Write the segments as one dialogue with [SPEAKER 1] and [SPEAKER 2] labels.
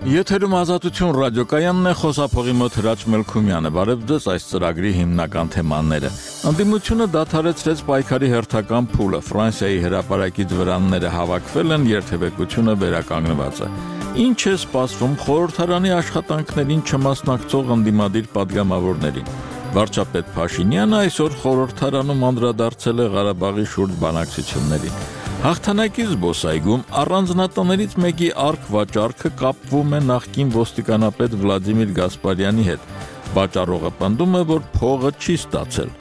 [SPEAKER 1] Եթերում Ազատություն ռադիոկայանն է, խոսափողի մոտ Հրաչ Մելքումյանը։ Բարև ձեզ, այս ծրագրի հիմնական թեմաները։ Ընդդիմությունը դադարեցրեց պայքարի հերթական փուլը։ Ֆրանսիայի հրապարակից վրանները հավաքվել են, երթևեկությունը վերականգնված է։ Ինչ է սպասվում խորհրդարանի աշխատանքներին չմասնակցող ընդդիմադիր պատգամավորներին։ Վարչապետ Փաշինյանը այսօր խորհրդարանում անդրադարձել է Ղարաբաղի շուրջ բանակցություններին։ Հաղթանակի զբոսայգում առանձնատներից մեկի արք-վաճառքը կապվում է նախկին ոստիկանապետ Վլադիմիր Գասպարյանի հետ։ Վաճառողը պնդում է, որ փողը չի ստացել։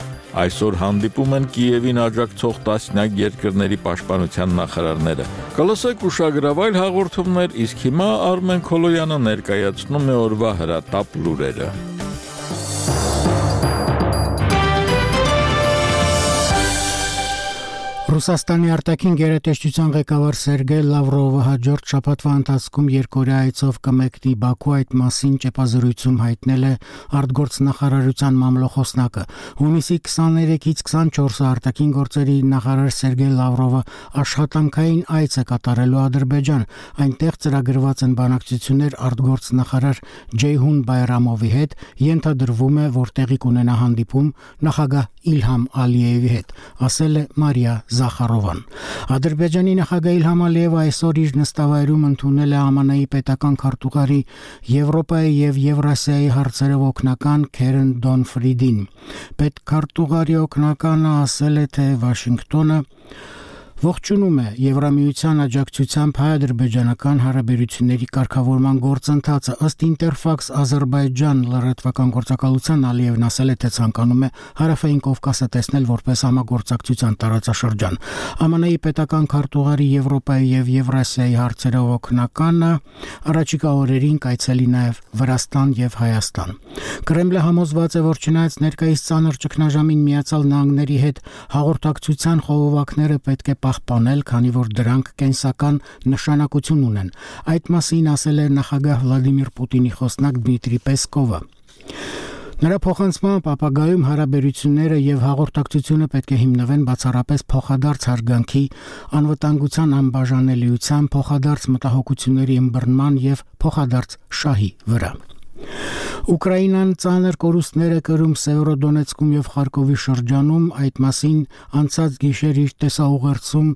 [SPEAKER 1] Այսօր հանդիպում են Կիևին աջակցող տասնյակ երկրների պաշտպանության նախարարները։ Կլսեք ուշագրավայր հաղորդումներ, իսկ հիմա Արմեն Քոլոյանը ներկայացնում է օրվա հրատապ լուրերը։
[SPEAKER 2] Ռուսաստանի արտաքին գերատեսչության ղեկավար Սերգեյ Լավրովը հաջորդ շաբաթվա ընթացքում երկօրյա այցով կմեկնի Բաքու, այդ մասին ճեպազրույցում հայտնել է արտգործնախարարության մամլոխոսնակը։ Հունիսի 23-ից 24-ը արտաքին գործերի նախարար Սերգեյ Լավրովը աշխատանքային այց է կատարելու Ադրբեջան։ Այնտեղ ծրագրված են բանակցություններ արտգործնախարար Ջեյհուն Բայրամովի հետ, ենթադրվում է, որ տեղի կունենա հանդիպում նախագահ Իլհամ Ալիևի հետ, ասել է Մարիա Զախարովան։ Ադրբեջանի նախագահ Իլհամ Ալիևը այսօր իր նստավայրում ընդունել է ԱՄՆ-ի պետական քարտուղարի Եվրոպայի եւ Եվրասիայի հարցերով օգնական Քերեն Դոնֆրիդին։ Պետքարտուղարի օգնականը ասել է, թե Վաշինգտոնը ողջունում է Եվրամիության աջակցությամբ հայ-ադրբեջանական հարաբերությունների կարգավորման գործընթացը։ Ըստ Ինտերֆաքս Ադրբեջան լրատվական գործակալության Ալիևն ասել է, թե ցանկանում է Հարավային Կովկասը տեսնել որպես համագործակցության տարածաշրջան։ ԱՄՆ-ի պետական քարտուղարի Եվրոպայի եւ Եվրասիայի հարցերով օգնականը առաջիկա օրերին կայցելի նաեւ Վրաստան եւ Հայաստան։ Կրեմլը համոզված է, որ չնայած ներկայիս ծանր ճգնաժամին Միացյալ Նահանգների հետ հաղորդակցության խողովակները պետք է պահպանել, քանի որ դրանք կենսական նշանակություն ունեն։ Այդ մասին ասել է նախագահ Վլադիմիր Պուտինի խոսնակ Դմիտրի Պեսկովը։ Նրա փոխանցմամբ ապագայում հարաբերությունները եւ հաղորդակցությունը պետք է հիմնվեն բացառապես փոխադարձ հարգանքի, անվտանգության անբաժանելիության, փոխադարձ մտահոգությունների ըմբռնման եւ փոխադարձ շահի վրա։ Ուկրաինան ծանր կորուստներ է կրում Սևրոդոնեցկում եւ Խարկովի շրջանում, այդ մասին անցած գիշեր իր տեսաուղերձում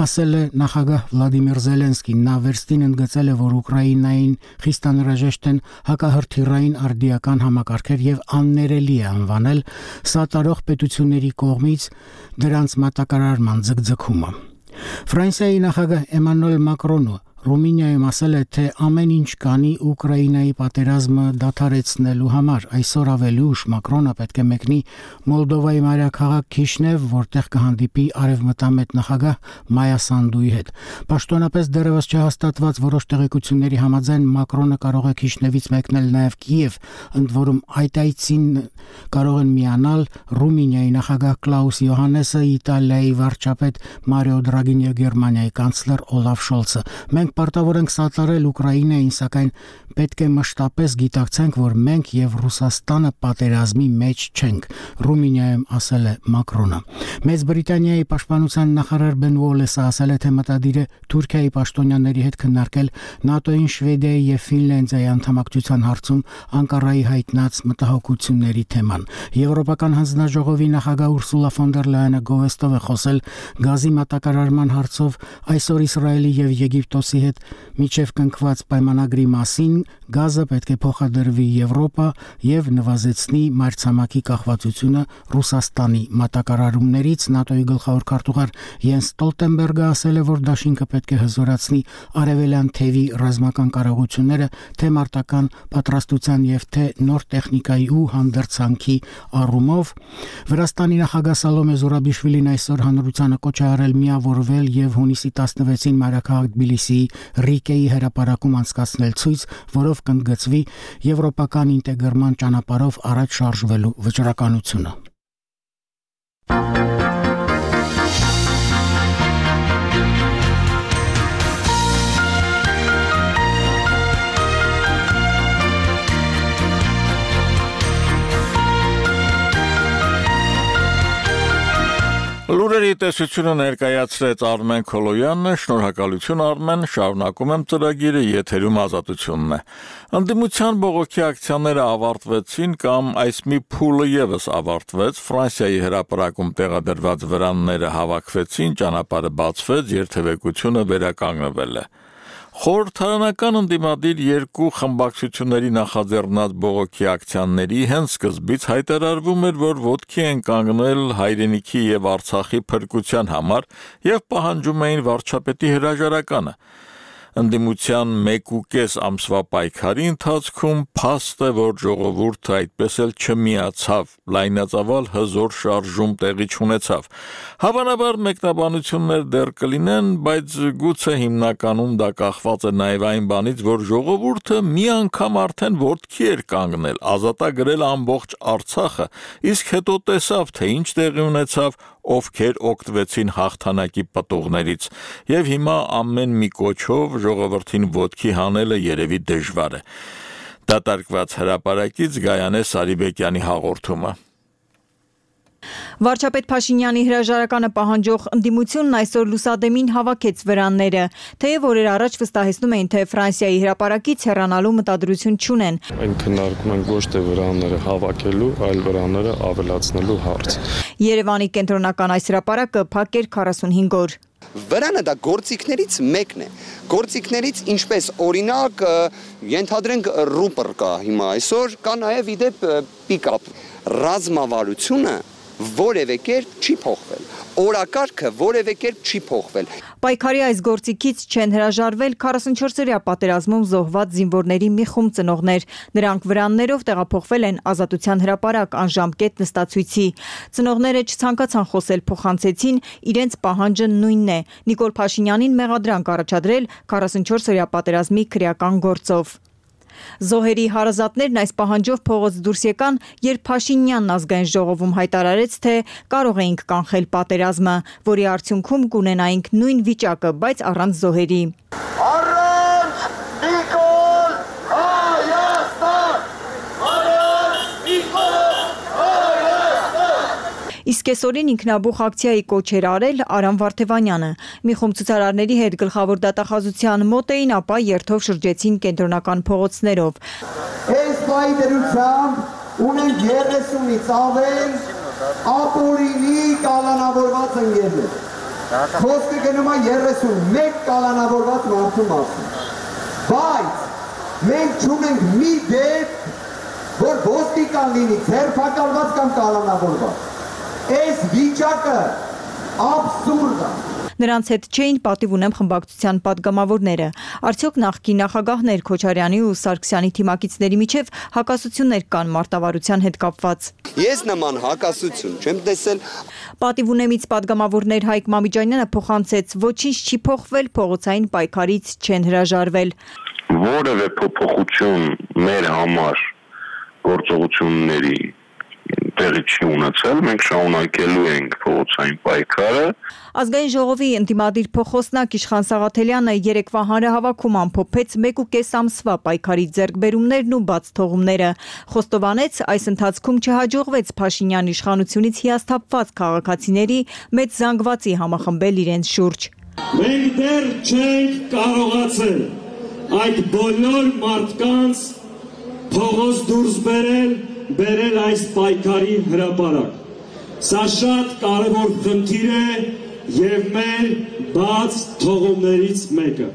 [SPEAKER 2] ասել է նախագահ Վլադիմիր Զելենսկին։ Նա վերստին ընդգծել է, որ Ուկրաինային խիստ անհրաժեշտ են հակահրթիռային արդիական համակարգեր եւ աններելի է անվանել սատարող պետությունների կողմից դրանց մատակարարման ձգձգումը։ Ֆրանսիայի նախագահ Էմանուել Մակրոնը Ռումինիայում ասել է, թե ամեն ինչ կանի Ուկրաինայի պատերազմը դադարեցնելու համար։ Այսօր ավելի ուշ Մակրոնը պետք է մեկնի Մոլդովայի մայրաքաղաք Քիշնև, որտեղ կհանդիպի արևմտամետ նախագահ Մայա Սանդուի հետ։ Պաշտոնապես դեռևս չհաստատված որոշ տեղեկությունների համաձայն Մակրոնը կարող է Քիշնևից մեկնել նաև Կիև, ընդ որում այդ այցին կարող են միանալ Ռումինիայի նախագահ Կլաուս Յոհանեսը, Իտալիայի վարչապետ Մարիո Դրագին եւ Գերմանիայի կանցլեր Օլաֆ Շոլցը։ Մենք պարտավոր ենք սատարել Ուկրաինային, սակայն պետք է մշտապես գիտակցենք, որ մենք եւ Ռուսաստանը պատերազմի մեջ չենք, Ռումինիայում ասել է Մակրոնը։ Մեծ Բրիտանիայի պաշտպանության նախարար Բեն Ուոլեսը ասել է, թե մտադիր է Թուրքիայի պաշտոնյաների հետ քննարկել ՆԱՏՕ-ին, Շվեդիայի եւ Ֆինլանդիայի անդամակցության հարցում Անկարայի հայտնած մտահոգությունների թեման։ Եվրոպական հանձնաժողովի նախագահ Ուրսուլա ֆոն դեր Լայենը գովեստով է խոսել գազի մատակարարման հարցով այսօր Իսրայելի եւ Եգիպտոսի հետ միջև կնքված պայմանագրի մասին։ Գազը պետք է փոխադրվի Եվրոպա եւ նվազեցնի մայրցամաքի կախվածությունը Ռուսաստանի մատակարարումներից։ ՆԱՏՕ-ի գլխավոր քարտուղար Յենս Ստոլտենբերգը ասել է, որ դաշինքը պետք է հզորացնի արևելյան թևի ռազմական կարողությունները թե մարտական պատրաստության եւ թե նոր տեխնիկայի ու հանդերձանքի առումով։ Վրաստանի նախագահ Սալոմե Զուրաբիշվիլին այսօր հանրությանը կոչ է արել միավորվել եւ հունիսի 16-ին մայրաքաղաք Թբիլիսիի Ռիկեի հրապարակում անցկացնել ցույց, որով կընդգծվի եվրոպական ինտեգրման ճանապարհով առաջ շարժվելու վճռականությունը։
[SPEAKER 1] Լուրերի տեսությունը ներկայացրեց Արմեն Քոլոյանն, շնորհակալություն Արմեն, շարունակում եմ ծրագիրը, եթերում Ազատությունն է։ Ընդդիմության բողոքի ակցիաները ավարտվեցին կամ այս մի փուլը եւս ավարտվեց, Ֆրանսիայի հրապարակում տեղադրված վրանները հավաքվեցին, ճանապարհը բացվեց, երթևեկությունը վերականգնվել է։ Խորհրդարանական ընդդիմադիր երկու խմբակցությունների նախաձեռնած բողոքի ակցիաների հենց սկզբից հայտարարվում էր, որ ոտքի են կանգնել հայրենիքի եւ Արցախի փրկության համար եւ պահանջում էին վարչապետի հրաժարականը։ Ընդդիմության 1.5 ամսվա պայքարի ընթացքում փաստ է, որ ժողովուրդը այդպես էլ չմիացավ, լայնածավալ հզոր շարժում տեղի չունեցավ։ Հավանաբար մեկնաբանություններ դեռ կլինեն, բայց գուցե հիմնականում դա կախված է նաև այն բանից, որ ժողովուրդը մի անգամ արդեն ոտքի էր կանգնել, ազատագրել ամբողջ Արցախը, իսկ հետո տեսավ, թե ինչ տեղի ունեցավ, ովքեր օգտվեցին հաղթանակի պտուղներից, եւ հիմա ամեն մի կոչով ժողովրդին ոտքի հանելը երևի դժվար է։ Դատարկված հրապարակից Գայանե Սարիբեկյանի հաղորդումը։
[SPEAKER 3] Վարչապետ Փաշինյանի հրաժարականը պահանջող ընդդիմությունն այսօր լուսադեմին հավաքեց վրանները, թեև օրեր առաջ վստահեցնում էին, թե Ֆրանսիայի հրապարակից հեռանալու մտադրություն չունեն։
[SPEAKER 4] Այն քննարկում են ոչ թե վրանները հավաքելու, այլ վրանները ավելացնելու հարց։
[SPEAKER 3] Երևանի կենտրոնական այս հրապարակը փակ էր 45 օր։
[SPEAKER 5] Վրանը դա գործիքներից մեկն է։ Գործիքներից ինչպես օրինակ ենթադրենք ռուպր կա հիմա այսօր, կա նաև իդեպ պիկապ։ Ռազմավարությունը որևէ կերպ չի փոխվել, օրակարգը որևէ կերպ չի փոխվել։
[SPEAKER 3] Պայքարի այս գործիքից չեն հրաժարվել 44-օրյա պատերազմում զոհված զինվորների մի խումբ ծնողներ։ Նրանք վրաններով տեղափոխվել են Ազատության հրապարակ անժամկետ նստացույցի։ Ծնողները չցանկացան խոսել, փոխանցեցին, իրենց պահանջը նույնն է՝ Նիկոլ Փաշինյանին մեղադրանք առաջադրել 44-օրյա պատերազմի քրեական գործով։ Զոհերի հարազատներն այս պահանջով փողոց դուրս եկան, երբ Փաշինյանն ազգային ժողովում հայտարարեց, թե կարող էինք կանխել պատերազմը, որի արդյունքում կունենայինք նույն վիճակը, բայց առանց զոհերի։
[SPEAKER 6] Առանց Նիկոլ Հայաստան! Առանց Նիկոլ Հայաստան!
[SPEAKER 3] Իսկ այսօրին ինքնաբուխ ակցիայի կոչ էր արել Արամ Վարդևանյանը։ Մի խումբ ցուցարարների հետ գլխավոր դատախազության մոտ էին, ապա երթով շրջեցին կենտրոնական փողոցներով։
[SPEAKER 6] Այս պայի դրությամբ ունենք 30-ից ավել ապօրինի կալանավորված ընկերներ։ Խոսքը գնում է 31 կալանավորված մարդու մասին։ Բայց մենք չունենք մի դեպք, որ ոստիկան լինի ձերբակալված կամ կալանավորված։ Այս վիճակը աբսուրդ է։
[SPEAKER 3] Նրանց հետ չէին պատիվ ունեմ խմբակցության պատգամավորները։ Արդյոք նախկին նախագահներ Քոչարյանի ու Սարգսյանի թիմակիցների միջև հակասություններ կան մարտավարության հետ կապված։
[SPEAKER 5] Ես նման հակասություն չեմ տեսել։
[SPEAKER 3] Պատիվ ունեմից պատգամավորներ Հայկ Մամիջանյանը փոխանցեց, ոչինչ չի փոխվել, փողոցային պայքարից չեն հրաժարվել։
[SPEAKER 4] Որևէ փոփոխություն մեր համար գործողությունների տեղի չի ունեցել, մենք շարունակելու ենք փողոցային պայքարը։
[SPEAKER 3] Ազգային ժողովի ընդդիմադիր փոխոսնակ Իշխան Սաղաթելյանը երեկվա հանրահավաքում ամփոփեց 1.5 ամսվա պայքարի ձեռքբերումներն ու բաց թողումները։ Խոստովանեց, այս ընթացքում չհաջողվեց Փաշինյան իշխանությունից հիասթափված քաղաքացիների մեծ զանգվածի համախմբել իրենց շուրջ։
[SPEAKER 7] Մենք դեռ չենք կարողացել այդ բոլոր մարդկանց փողոց դուրս բերել այս պայքարի հրապարակ։ Սա շատ կարևոր խնդիր է եւ մեր բաց թողումներից մեկը։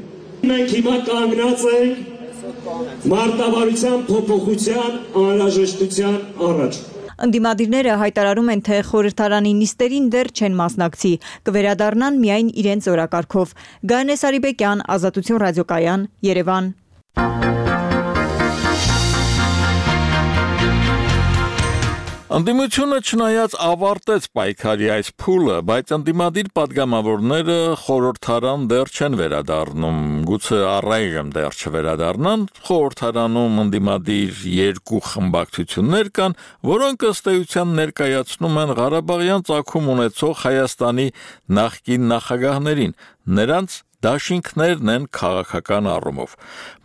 [SPEAKER 7] Մենք հիմա կանգնած ենք մարտավարության փոփոխության անհրաժեշտության առաջ։
[SPEAKER 3] Ընդդիմադիրները հայտարարում են, թե խորհրդարանի նիստերին դեռ չեն մասնակցի, կվերադառնան միայն իրենց օրակարգով։ Գայանե Սարիբեկյան, Ազատություն ռադիոկայան, Երևան։
[SPEAKER 1] Ընդդիմությունը չնայած ավարտեց պայքարի այս փուլը, բայց ընդդիմադիր պատգամավորները խորհրդարան դեռ չեն վերադառնում, գուցե առայժմ դեռ չվերադառնան, խորհրդարանում ընդդիմադիր երկու խմբակցություններ կան, որոնք ըստ էության ներկայացնում են Ղարաբաղյան ծագում ունեցող Հայաստանի նախկին նախագահներին, նրանց դաշինքներն են քաղաքական առումով,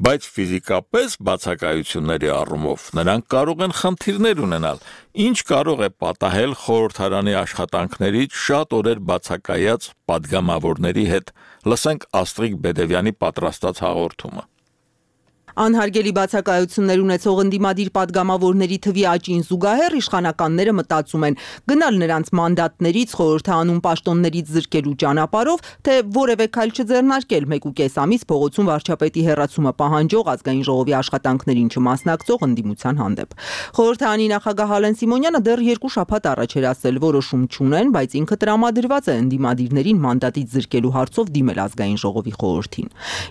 [SPEAKER 1] բայց ֆիզիկապես բացակայությունների առումով նրանք կարող են խնդիրներ ունենալ, ինչ կարող է պատահել խորհրդարանի աշխատանքներից շատ օրեր բացակայած պատգամավորների հետ։ Լսենք Աստրիկ Բեդևյանի պատրաստած հաղորդումը։
[SPEAKER 8] Անհարգելի բացակայություններ ունեցող ընդդիմադիր պատգամավորների թվի աճին զուգահեռ իշխանականները մտածում են գնալ նրանց մանդատներից խորհրդանում պաշտոններից զրկելու ճանապարհով, թե որևէ քայլ չձեռնարկել 1.5 ամիս փողոցում վարչապետի հեռացումը պահանջող ազգային ժողովի աշխատանքներին չմասնակցող ընդդիմության հանդեպ։ Խորհրդարանի նախագահ Ալեն Սիմոնյանը դեռ 2 շաբաթ առաջ էր ասել որոշում չունեն, բայց ինքը տրամադրված է ընդդիմադիրներին մանդատից զրկելու հարցով դիմել ազգային ժողովի խորհրդին։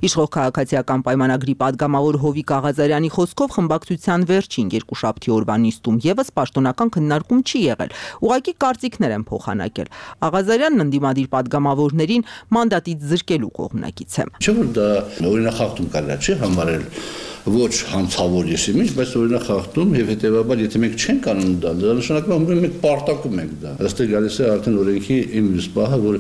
[SPEAKER 8] Իշխող քաղաքացիական պայմանագրի պատգամավոր Հովիկ Աղազարյանի խոսքով խմբակցության վերջին 2 շաբթի օրվա նիստում եւս պաշտոնական քննարկում չի եղել։ Ուղղակի կարծիքներ են փոխանակել։ Աղազարյանն ընդդիմադիր պատգամավորներին մանդատից զրկելու կողմնակից է։
[SPEAKER 9] Չէ՞ որ դա օրինախախտում կարելի չի համարել ոչ հանցավոր եսիմինչ, բայց օրինախախտում եւ հետեւաբար եթե մենք չենք անում դա նշանակում է մենք պարտակում ենք դա։ Այստեղ գալիս է արդեն օրենքի իմ պահը, որ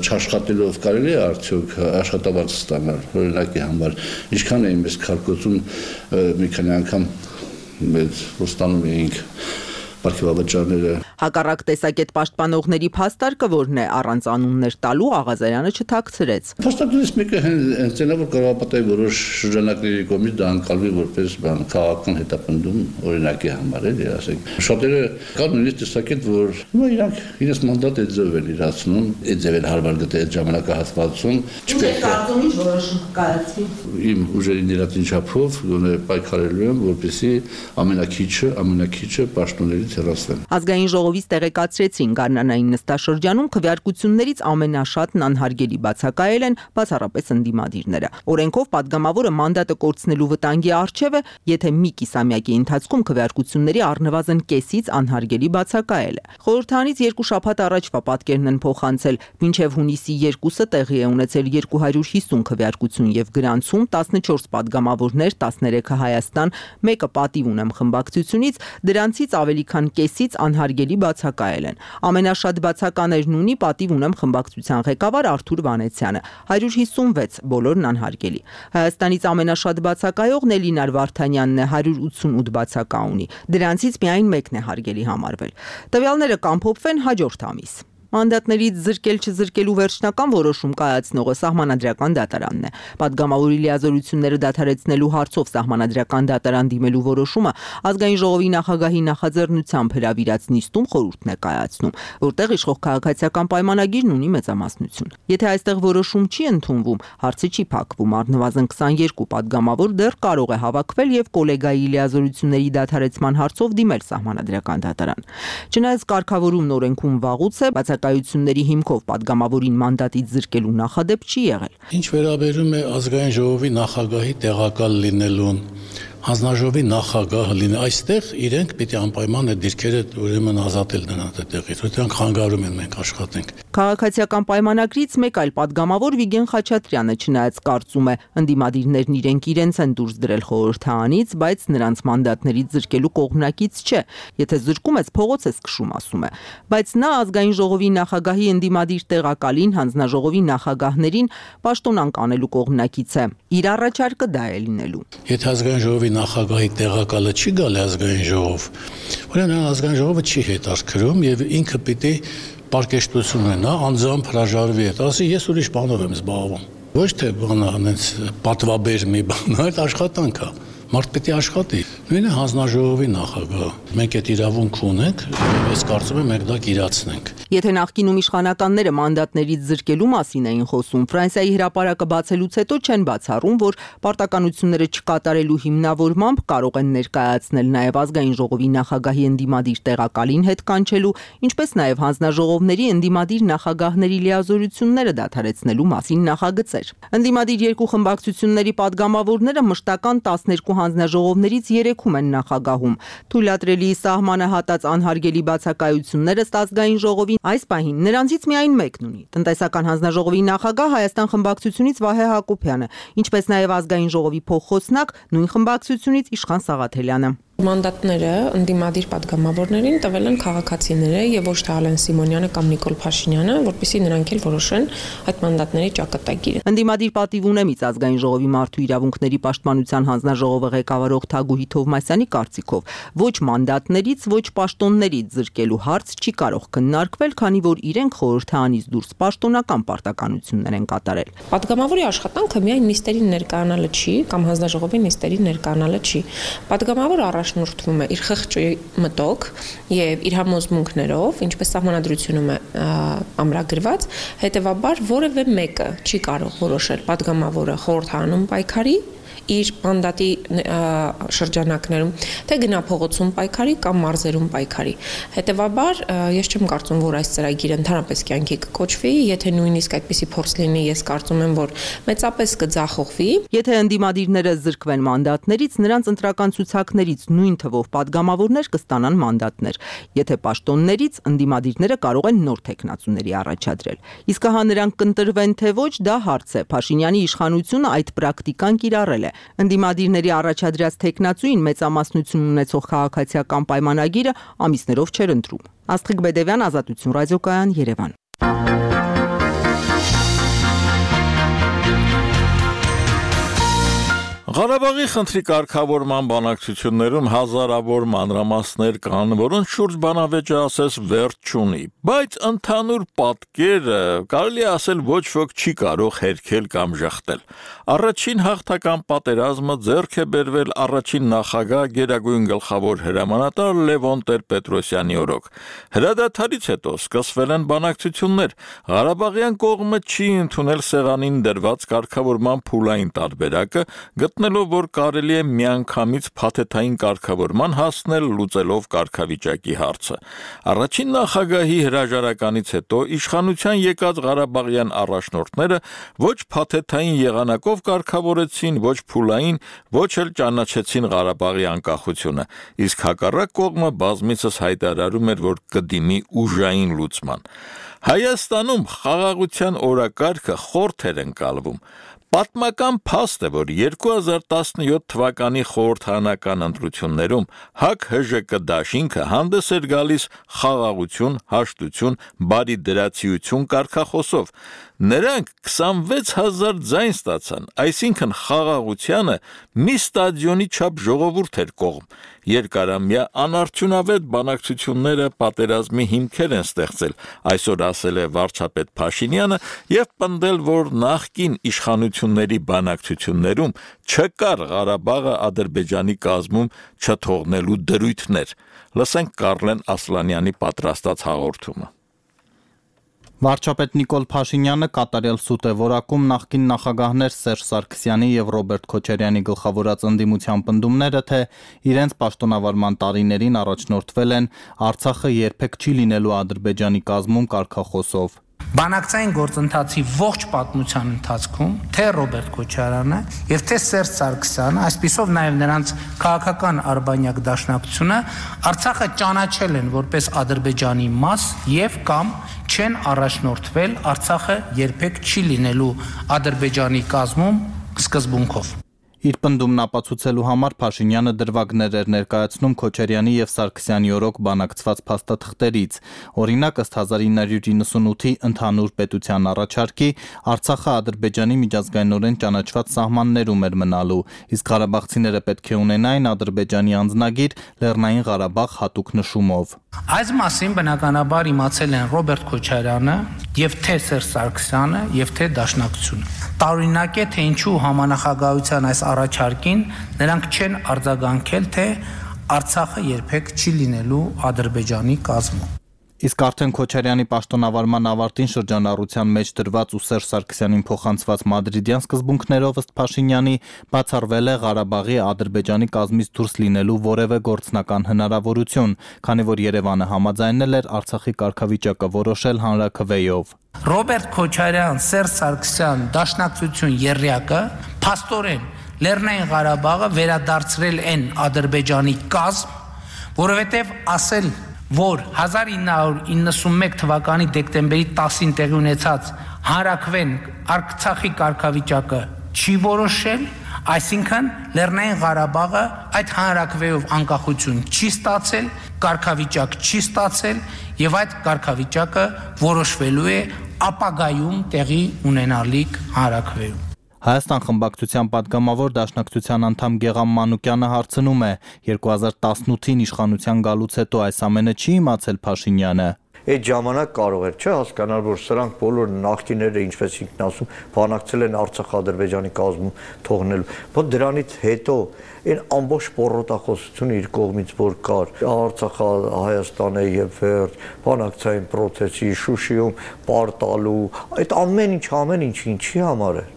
[SPEAKER 9] չաշխատելով կարելի է արդյոք աշխատավարձ ստանալ օրինակի համար։ Ինչքան է մեզ քարկոծում մի քանի անգամ մեզ ստանում էինք Պարքեվավճարները։
[SPEAKER 8] Հակառակ տեսակետ պաշտպանողների փաստարկը որն է առանց անուններ տալու Աղազարյանը չթաքցրեց։
[SPEAKER 9] Փաստարկներից մեկը հենց այն է, որ կառավարապետի որոշ շրջանակների կողմից դա անցալվի որպես քաղաքական հետապնդում օրինակի համար էլի, ասենք։ Շատերը կան նույնիսկ տեսակետ, որ իրանք իրենց մանդատը ձև են իրացնում, այդ ձև են հարմար գտել այդ ժամանակահատվածում։
[SPEAKER 8] Չպետք է կարծում ինչ որոշում կայացվի։
[SPEAKER 9] Իմ ուժերի ներածին չափով պայքարելու եմ, որպեսզի ամենակիչը պաշտոնների
[SPEAKER 8] Ազգային ժողովից տեղեկացրեցին Գարնանային նստաշրջանում քվեարկություններից ամենաշատն անհարգելի բացակայել են բացառապես ընդդիմադիրները։ Օրենքով պատգամավորը մանդատը կորցնելու վտանգի առջև է, եթե մի կիսամյակի ընթացքում քվեարկությունների առնվազն կեսից անհարգելի բացակայել է։ Խորհրդարանից 2 շաբաթ առաջվա պատկերն են փոխանցել, մինչև հունիսի 2-ը տեղի է ունեցել 250 քվեարկություն եւ գրանցում 14 պատգամավորներ, 13-ը Հայաստան, 1-ը պատիվ ունեմ խմբակցությունից, դրանցից ավելի քան կեսից անհարգելի բացակայել են։ Ամենաշատ բացականերն ունի պատիվ ունեմ խմբակցության ղեկավար Արթուր Վանեցյանը 156, բոլորն անհարգելի։ Հայաստանից ամենաշատ բացակայողն Էլինար Վարդանյանն է 188 բացակա ունի։ Դրանցից միայն մեկն է հարգելի համարվել։ Տվյալները կամփոփվեն հաջորդ ամիս։ Մանդատներից զրկել-չզրկելու վերջնական որոշում կայացնողը Սահմանադրական դատարանն է։ Պատգամավորի լիազորությունները դադարեցնելու հարցով Սահմանադրական դատարան դիմելու որոշումը ազգային ժողովի նախագահի նախաձեռնությամբ հրավիրած նիստում խորհուրդն է կայացնում, որտեղ իշխող քաղաքացիական պայմանագիրն ունի մեծամասնություն։ Եթե այստեղ որոշում չի ընդունվում, հարցը չի փակվում, առնվազն 22 պատգամավոր դեռ կարող է հավաքվել եւ կոլեգայի լիազորությունների դադարեցման հարցով դիմել Սահմանադրական դատարան։ Չնայած կարգավորումն օրենքում վաղուց է, բացակայությունների հիմքով պատգամավորին մանդատից զրկելու նախադեպ չի եղել։
[SPEAKER 10] Ինչ վերաբերում է ազգային ժողովի նախագահի տեղակալ լինելուն, հանձնաժողովի նախագահը լինի, այստեղ իրենք պիտի անպայման այդ դիրքերը ուրեմն ազատել նրանց այդտեղից, որտեղ խանգարում են մենք աշխատենք։
[SPEAKER 8] Քաղաքացիական պայմանագրից մեկ այլ պատգամավոր Վիգեն Խաչատրյանը չնայած կարծում է, ընդդիմադիրներն իրենց են դուրս դրել խորհրդարանից, բայց նրանց մանդատներից զրկելու կողմնակից չէ։ Եթե զրկում ես, փողոց ես քշում, ասում է։ Բայց նա ազգային ժողովի նախագահի ընդդիմադիր տեղակալին, հանձնաժողովի նախագահներին պաշտոնանկ անելու կողմնակից է։ Իր առաջարկը դա է լինելու։
[SPEAKER 10] Եթե ազգային ժողովի նախագահի տեղակալը չի գալի ազգային ժողով, ուրեմն ազգային ժողովը չի հետաքրքրում եւ ինքը պիտի պարկեշտություն ունենա, անձամբ հրաժարվի հետ, ասի ես ուրիշ բանով եմ զբաղվում։ Ոչ թե բանը այնց պատվաբեր մի բան, այլ աշխատանք է։ Մարդ պետք է աշխատի։ Նույնը հանձնաժողովի նախագահը։ Մենք այդ իրավունք ունենք, ես կարծում եմ մենք դա կիրացնենք։
[SPEAKER 8] Եթե նախկինում իշխանականները մանդատներից զրկելու մասին էին խոսում, Ֆրանսիայի հրապարակը բացելուց հետո չեն բացառում, որ պարտականությունները չկատարելու հիմնավորմամբ կարող են ներկայացնել նաև ազգային ժողովի նախագահի ընդդիմադիր տեղակալին հետ կանչելու, ինչպես նաև հանձնաժողովների ընդդիմադիր նախագահների լիազորությունները դադարեցնելու մասին նախագծեր։ Ընդդիմադիր երկու խմբակցությունների падգամավորները մշտական 12 հանձնաժողովներից 3-ում են նախագահում։ Թույլատրելի սահմանը հատած անհարգելի բացակայությունները ազգային ժողովին այս պահին նրանցից միայն մեկն ունի։ Տնտեսական հանձնաժողովի նախագահ Հայաստան խմբակցությունից Վահե Հակոբյանը, ինչպես նաև ազգային ժողովի փոխխոսնակ նույն խմբակցությունից Իշխան Սաղաթելյանը։
[SPEAKER 11] Մանդատները ընդդիմադիր պատգամավորներին տվել են քաղաքացիները եւ ոչ թե Ալեն Սիմոնյանը կամ Նիկոլ Փաշինյանը, որպեսզի նրանք էլ որոշեն այդ մանդատների ճակատագիրը։
[SPEAKER 8] Ընդդիմադիր պատիվ ունեմից ազգային ժողովի մարդու իրավունքների պաշտպանության հանձնաժողովը ղեկավարող Թագուհի Թովմասյանի կարծիքով ոչ մանդատներից, ոչ պաշտոններից զրկելու հարց չի կարող քննարկվել, քանի որ իրենք խորհրդարանից դուրս պաշտոնական պարտականություններ են կատարել։
[SPEAKER 11] Պատգամավորի աշխատանքը միայն նիստերին ներկայանալը չի կամ հանձնաժողովի նիստերին ներկայանալը չի։ Պատգամավորը առաջնորդվում է իր խղճի մտոք եւ իր համոզմունքներով, ինչպես սահմանադրությունում է ամրագրված, հետեւաբար որևէ մեկը չի կարող որոշել պատգամավորը խորհրդարանում պայքարի իր մանդատի շրջանակներում, թե գնա փողոցում պայքարի կամ մարզերում պայքարի։ Հետևաբար, ես չեմ կարծում, որ այս ծրագիրը ընդհանրապես կյանքի կկոչվի, եթե նույնիսկ այդպիսի փորձ լինի, ես կարծում եմ, որ մեծապես կձախողվի։
[SPEAKER 8] Եթե ընդդիմադիրները զրկվեն մանդատներից, նրանց ընտրական ցուցակներից նույն թվով падգամավորներ կստանան մանդատներ։ Եթե պաշտոններից, ընդդիմադիրները կարող են նոր թեկնածուների առաջադրել։ Իսկ հա նրանք կընտրվեն թե ոչ, դա հարց է։ Փաշինյանի իշխանությունը այդ պրակտիկան կիրառել է։ Ընդդիմադիրների առաջադրած թեկնածուին մեծամասնություն ունեցող քաղաքացիական պայմանագիրը ամիսներով չէր ընտրում։ Աստղիկ Բեդևյան, Ազատություն ռադիոկայան, Երևան։
[SPEAKER 1] Ղարաբաղի խնդրի կարգավորման բանակցություններում հազարավոր մանրամասներ կան, որոնց շուրջ բանավեճը ասես վերջ չունի, բայց ընդհանուր պատկերը կարելի ասել ոչ ոք չի կարող հերքել կամ ժխտել։ Առաջին հաղթական պատերազմը ձեռք է բերվել առաջին նախագահ Գերագույն գլխավոր հրամանատար Լևոն Տեր-Պետրոսյանի օրոք։ Հրադադարից հետո սկսվել են բանակցություններ։ Ղարաբաղյան կողմը չի ընդունել սեղանին դրված կարգավորման փուլային տարբերակը, գտնելով, որ կարելի է միանգամից փաթեթային կարգավորման հասնել լուծելով կարգավիճակի հարցը։ Առաջին նախագահի հրաժարականից հետո իշխանության եկած ղարաբաղյան առաջնորդները ոչ փաթեթային եղանակով կարգավորեցին, ոչ փուլային, ոչ էլ ճանաչեցին Ղարաբաղի անկախությունը, իսկ հակառակ կողմը բազմիցս հայտարարում էր, որ կդիմի ուժային լուծման։ Հայաստանում խաղաղության օրակարգը խորթ էր ընկալվում։ Պատմական փաստ է, որ 2017 թվականի խորհրդարանական ընտրություններում ՀԱԿ-ՀԺԿ դաշինքը հանդես էր գալիս խաղաղություն, հաշտություն, բարի դրացիություն կարգախոսով։ Նրանք 26,000 ձայն ստացան, այսինքն խաղաղությանը մի ստադիոնի չափ ժողովուրդ էր կողմ։ Երկարամյա անարդյունավետ բանակցությունները պատերազմի հիմքեր են ստեղծել, այսօր ասել է վարչապետ Փաշինյանը եւ պնդել, որ նախկին իշխանությունների բանակցություններում չկար Ղարաբաղը Ադրբեջանի կազմում չթողնելու դրույթներ։ Լսենք Կարլեն Ասլանյանի պատրաստած հաղորդումը։
[SPEAKER 12] Վարչապետ Նիկոլ Փաշինյանը կատարյալ սուտ է որակում նախկին նախագահներ Սերժ Սարգսյանի եւ Ռոբերտ Քոչարյանի գլխավորած ընդդիմության պնդումները, թե իրենց պաշտոնավարման տարիներին առաջնորդվել են Արցախը երբեք չի լինելու Ադրբեջանի կազմում կարգախոսով։
[SPEAKER 13] Բանակցային գործընթացի ողջ պատմության ընթացքում թե Ռոբերտ Քոչարյանը եւ թե Սերժ Սարգսյանը, այսպիսով նաեւ նրանց քաղաքական արբանյակ դաշնակցությունը Արցախը ճանաչել են որպես Ադրբեջանի մաս եւ կամ չեն առաջնորդվել Արցախը երբեք չի լինելու Ադրբեջանի կազմում սկզբունքով։
[SPEAKER 12] Իր պնդումն ապացուցելու համար Փաշինյանը դրվագներ էր ներկայացնում Քոչարյանի եւ Սարգսյանի օրոք բանակցված փաստաթղթերից։ Օրինակ, ըստ 1998-ի ընդհանուր պետության առաջարկի Արցախը Ադրբեջանի միջազգայինորեն ճանաչված սահմաններում էր մնալու, իսկ ղարաբաղցիները պետք է ունենային Ադրբեջանի անձնագիր Լեռնային Ղարաբաղ հատուկ նշումով։
[SPEAKER 13] Այս մասին բնականաբար իմացել են Ռոբերտ Քոչարյանը եւ թե Սերժ Սարգսյանը եւ թե Դաշնակցությունը։ Տարօրինակ է, թե ինչու համանախագահության այս առաջարկին նրանք չեն արձագանքել, թե Արցախը երբեք չի լինելու Ադրբեջանի կազմում։
[SPEAKER 12] Իսկ արդեն Քոչարյանի պաշտոնավարման ավարտին շրջանառության մեջ դրված ու Սերժ Սարգսյանին փոխանցված մադրիդյան սկզբունքներով ըստ Փաշինյանի բացառվել է Ղարաբաղի Ադրբեջանի կազմից դուրս լինելու որևէ գործնական հնարավորություն, քանի որ Երևանը համաձայնել էր Արցախի կարգավիճակը որոշել հանրաքվեով։
[SPEAKER 13] Ռոբերտ Քոչարյան, Սերժ Սարգսյան, Դաշնակցություն եռյակը փաստորեն Լեռնային Ղարաբաղը վերադարձրել են Ադրբեջանի կազմ, որովհետև ասել, որ 1991 թվականի դեկտեմբերի 10-ին տեղի ունեցած հանրաքվեն Արցախի կարգավիճակը չի որոշել, Այսինքն Լեռնային Ղարաբաղը այդ հանրաքվեով անկախություն չի ստացել, կարգավիճակ չի ստացել եւ այդ կարգավիճակը որոշվելու է ապագայում տեղի ունենալիք հանրաքվեում։
[SPEAKER 12] Հայաստան խմբակցության պատգամավոր Դաշնակցության անդամ Գեգամ Մանուկյանը հարցնում է. 2018-ին իշխանության գալուց հետո այս ամենը չի իմացել Փաշինյանը։
[SPEAKER 14] Այդ ժամանակ կարող էր, չէ, հասկանալ, որ սրանք բոլոր նախկինները, ինչպես ինքն ասում, բանակցել են Արցախ-Ադրբեջանի կազմում թողնելու։ Բայց դրանից հետո այն ամբողջ պոռոտախոսությունը իր կողմից որ կար, Արցախ-Հայաստանը եւ վերջ, բանակցային process-ի Շուշիում պարտալու, այդ ամեն ինչի համար է։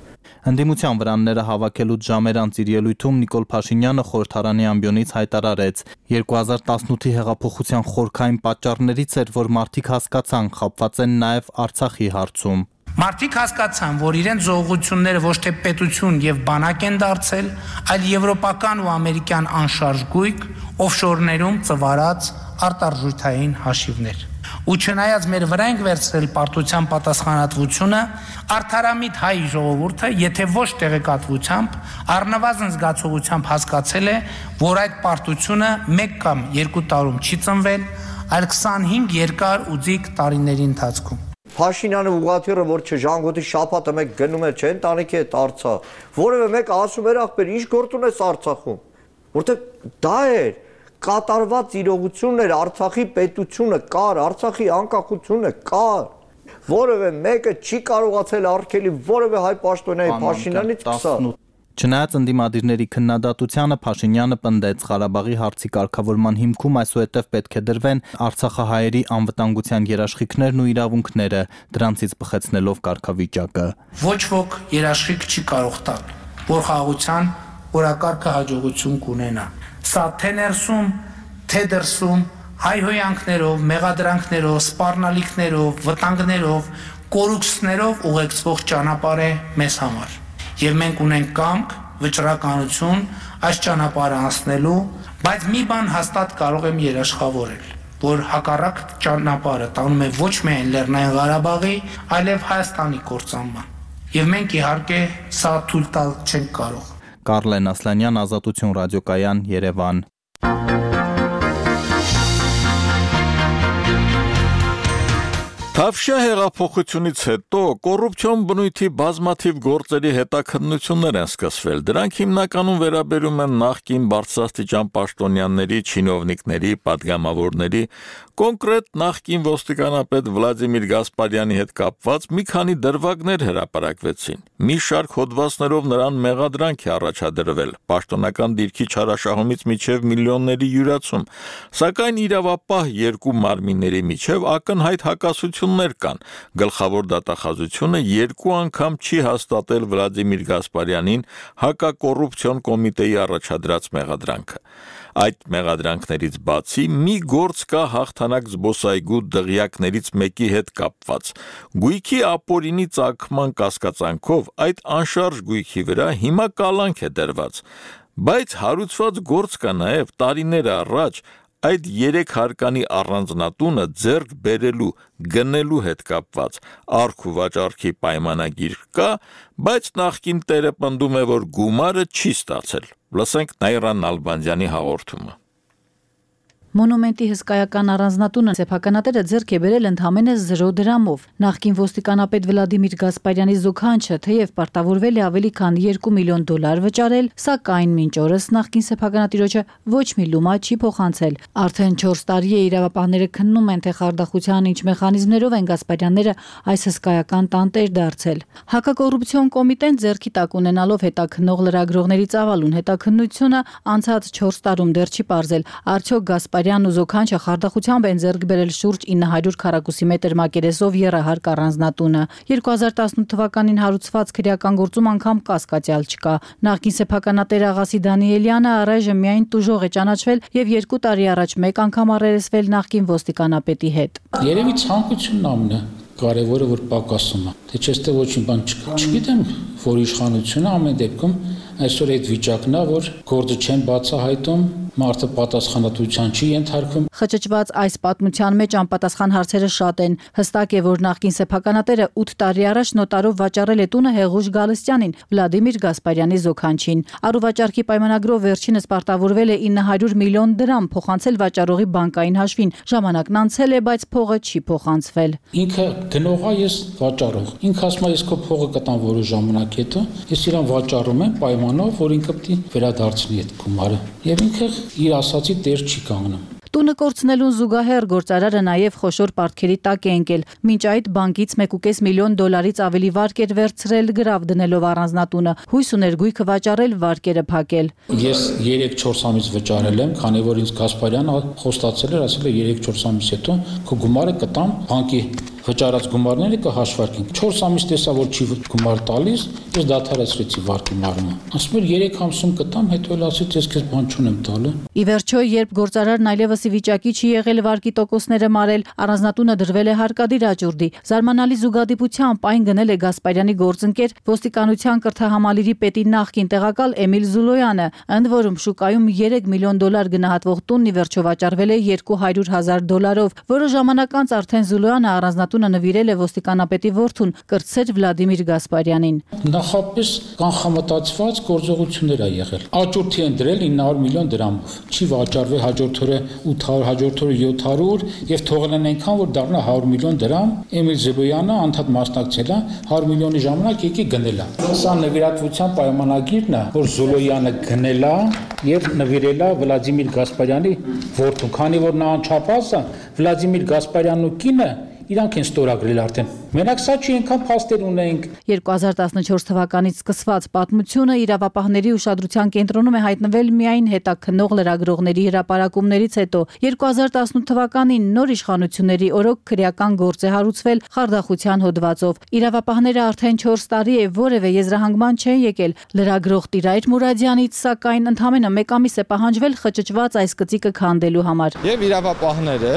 [SPEAKER 12] Ընդդիմության վրանները հավաքելուց ժամեր անց իր ելույթում Նիկոլ Փաշինյանը խորհրդարանի ամբիոնից հայտարարեց. 2018-ի հեղափոխության խորքային պատճառներից էր, որ մարդիկ հասկացան, խաբված են նաև Արցախի հարցում։
[SPEAKER 13] Մարդիկ հասկացան, որ իրենց զողողությունները ոչ թե պետություն եւ բանակ են դարձել, այլ եվրոպական ու ամերիկյան անշարժ գույք, օֆշորներում ծվարած արտարժութային հաշիվներ։ Ու չնայած մեր վրա ենք վերցրել պարտության պատասխանատվությունը, արդարամիտ հայ ժողովուրդը, եթե ոչ տեղեկատվությամբ, առնվազն զգացողությամբ հասկացել է, որ այդ պարտությունը 1 կամ 2 տարում չի ծնվել, այլ 25 երկար ու ձիգ տարիների ընթացքում։
[SPEAKER 14] Փաշինյանը ուղղաթիռը, որ չժանգոտի շաբաթը մեկ գնում էր, չէ, ընտանիքի հետ Արցախ, որևէ մեկը ասում էր ախպեր, ինչ գործ ունես Արցախում, որտեղ դա էր կատարված իրողությունն էր, Արցախի պետությունը կար, Արցախի անկախությունը կար, որևէ մեկը չի կարողացել արգելի որևէ հայ պաշտոնյայի Փաշինյանից կսալ։
[SPEAKER 12] Չնայած ընդդիմադիրների քննադատությանը Փաշինյանը պնդեց Ղարաբաղի հարցի կարգավորման հիմքում այսուհետև պետք է դրվեն արցախահայերի անվտանգության երաշխիքներն ու իրավունքները, դրանցից բխեցնելով կարգավիճակը։
[SPEAKER 13] Ոչ ոք երաշխիք չի կարող տալ, որ խաղաղության օրակարգը հաջողություն կունենա։ Սա թե ներսում, թե դրսում, հայհոյանքներով, մեղադրանքներով, սպառնալիքներով, վտանգներով, կորուքսներով ուղեկցվող ճանապարհ է մեզ համար։ Եվ մենք ունենք կամք, վճռականություն այս ճանապարհը անցնելու, բայց մի բան հաստատ կարող եմ երաշխավորել, որ հակառակ ճանապարհը տանում է ոչ միայն Լեռնային Ղարաբաղի, այլև Հայաստանի կործանման։ Եվ մենք իհարկե սա թույլ տալ չենք կարող։
[SPEAKER 12] Կարլեն Ասլանյան, Ազատություն ռադիոկայան, Երևան։
[SPEAKER 1] Թավշյա հեղափոխությունից հետո կոռուպցիոն բնույթի բազմաթիվ գործերի հետաքննություններ են սկսվել։ Դրանք հիմնականում վերաբերում են նախկին բարձրաստիճան պաշտոնյաների, չինովնիկների, պատգամավորների, կոնկրետ նախկին ոստիկանապետ Վլադիմիր Գասպարյանի հետ կապված մի քանի դրվագներ հրապարակվեցին։ Մի շարք հոդվածներով նրան մեղադրանք է առաջադրվել, պաշտոնական դիրքի չարաշահումից մինչև միլիոնների յուրացում, սակայն իրավապահ երկու մարմինների միջև ակնհայտ հակասություններ կան։ Գլխավոր դատախազությունը 2 անգամ չի հաստատել Վլադիմիր Գասպարյանին հակակոռուպցիոն կոմիտեի առաջադրած մեղադրանքը։ Այդ մեղադրանքներից բացի մի գործ կա հաղթանակ զբոսայգու դղյակներից մեկի հետ կապված։ Գույքի ապօրինի ծագման կասկածանքով այդ անշարժ գույքի վրա հիմա կալանք է դրված, բայց հարուցված գործ կա նաև տարիներ առաջ այդ 3 հարկանի առանձնատունը ձեռք բերելու, գնելու հետ կապված արք ու վաճառքի պայմանագիր կա, բայց նախկին տերը պնդում է, որ գումարը չի ստացել։ Լսենք Նաիրա Նալբանդյանի հաղորդումը։
[SPEAKER 15] Մոնումենտի հսկայական առանձնատունը սեփականատերը ձեռք է բերել ընդամենը 0 դրամով։ Նախկին ոստիկանապետ Վլադիմիր Գասպարյանի զուգանչը թեև պարտավորվել է ավելի քան $2 միլիոն վճարել, սակայն մինչ օրս նախկին սեփականատիրոջը ոչ մի լումա չի փոխանցել։ Արդեն 4 տարի է իրավապահները քննում են, թե խարդախության ինչ մեխանիզմներով են Գասպարյանները այս հսկայական տանտեր դարձել։ Հակակոռուպցիոն կոմիտեն ձեռքի տակ ունենալով հետաքննող լրագրողների ծավալուն հետաքննությունը անցած 4 տարում դեռ չի պարզել, արդյոք Գասպարյանն ու զոքանչը խարդախությամբ են ձեռք բերել շուրջ 900 քառակուսի մետր մակերեսով եռահարկ առանձնատունը։ 2018 թվականին հարուցված քրեական գործում անգամ կասկածյալ չկա։ Նախկին սեփականատեր Աղասի Դանիելյանը առայժմ միայն տուժող է ճանաչվել եւ 2 տարի առաջ մեկ անգամ առերեսվել նախկին ոստիկանապետի հետ։
[SPEAKER 16] Երևի ցանկությունն ամն է կարևորը, որ պակասում է։ Թե չէ ստե ոչինչ բան չկա։ Չգիտեմ, որ իշխանությունը ամեն դեպքում այսօր այդ վիճակն է, որ գործը չեն բացահայտում, մարդը պատասխանատվության չի ենթարկվում։
[SPEAKER 15] Խճճված այս պատմության մեջ անպատասխան հարցերը շատ են։ Հստակ է, որ նախկին սեփականատերը 8 տարի առաջ նոտարով վաճառել է տունը Հեղուշ Գալստյանին, Վլադիմիր Գասպարյանի զոքանչին։ Առուվաճառքի պայմանագրով վերջինս պարտավորվել է 900 միլիոն դրամ փոխանցել վաճառողի բանկային հաշվին։ Ժամանակն անցել է, բայց փողը չի փոխանցվել։
[SPEAKER 16] Ինքը գնողա, ես վաճառող։ Ինքը ասում է, ես քո փողը կտամ որոշ ժամանակ հետո, ես իրան վաճառում եմ պայմանով, որ ինքը պետք է վերադարձնի այդ գումարը։ Եվ ինքը իր ասացի տեր չի կանգնում։
[SPEAKER 15] Տունը կորցնելուն զուգահեռ գործարարը նաև խոշոր պարտքերի տակ է ընկել։ Մինչ այդ բանկից $1.5 միլիոն ավելի վարկ էր վերցրել գրավ դնելով առանձնատունը։ Հույս ուներ գույքը վաճառել, վարկերը փակել։
[SPEAKER 16] Ես 3-4 ամիս վճարել եմ, քանի որ ինձ Գասպարյանը խոստացել էր, ասել է 3-4 ամիս հետո քո գումարը կտամ բանկի վճարած գումարները կհաշվարկենք։ 4 ամիս տեսա, որ չի գումար տալիս, ես դադարեցրեցի վարկի մարումը։ Ասում էր 3 ամսում կտամ, հետո էլ ասեց ես քեզ բան չունեմ տալու։
[SPEAKER 15] Ի վերջո, երբ գործարարն այլևս ի վիճակի չի եղել վարկի տոկոսները մարել, առանձնատունը դրվել է հարկադիր աճուրդի։ Զարմանալի զուգադիպությամբ այն գնել է Գասպարյանի գործընկեր ոստիկանության կրթահամալիրի պետի նախկին տեղակալ Էմիլ Զուլոյանը, ընդ որում շուկայում $3 միլիոն գնահատվող տունն ի վերջո վաճառվել է $200,000, որը ժամանակ անց արդեն Զուլոյանը առանձնատունը նվիրել է ոստիկանապետի որդուն կրտսեր Վլադիմիր Գասպարյանին։
[SPEAKER 16] Նախապես կանխամտածված գործողություններ ա եղել։ Աճուրդի են դրել 900 միլիոն դրամով։ Չի վաճառվել հաջորդ օրը 800, հաջորդ օրը 700 եւ թողել են այնքան, որ դառնա 100 միլիոն դրամ։ Էմիլ Զուլոյանը անդադ մասնակցել է 100 միլիոնի ժամանակ եկի գնել է։ Սա նվիրատվության պայմանագիրն է, որ Զուլոյանը գնել է եւ նվիրել է Վլադիմիր Գասպարյանի որդուն, քանի որ նա անչափահաս է Վլադիմիր Գասպարյանն ու կինը իրանք են ստորագրել արդեն։ Մենակ սա չի այնքան փաստեր ունենք։
[SPEAKER 15] 2014 թվականից սկսված պատմությունը իրավապահների ուշադրության կենտրոնում է հայտնվել միայն հետաքննող լրագրողների հրապարակումներից հետո։ 2018 թվականին նոր իշխանությունների օրոք քրեական գործ է հարուցվել խարդախության հոդվածով։ Իրավապահները արդեն 4 տարի է որևէ եզրահանգման չեն եկել լրագրող Տիրայր Մուրադյանից, սակայն ընդամենը 1 ամիս է պահանջվել խճճված այս գծիկը քանդելու համար։
[SPEAKER 17] Եվ իրավապահները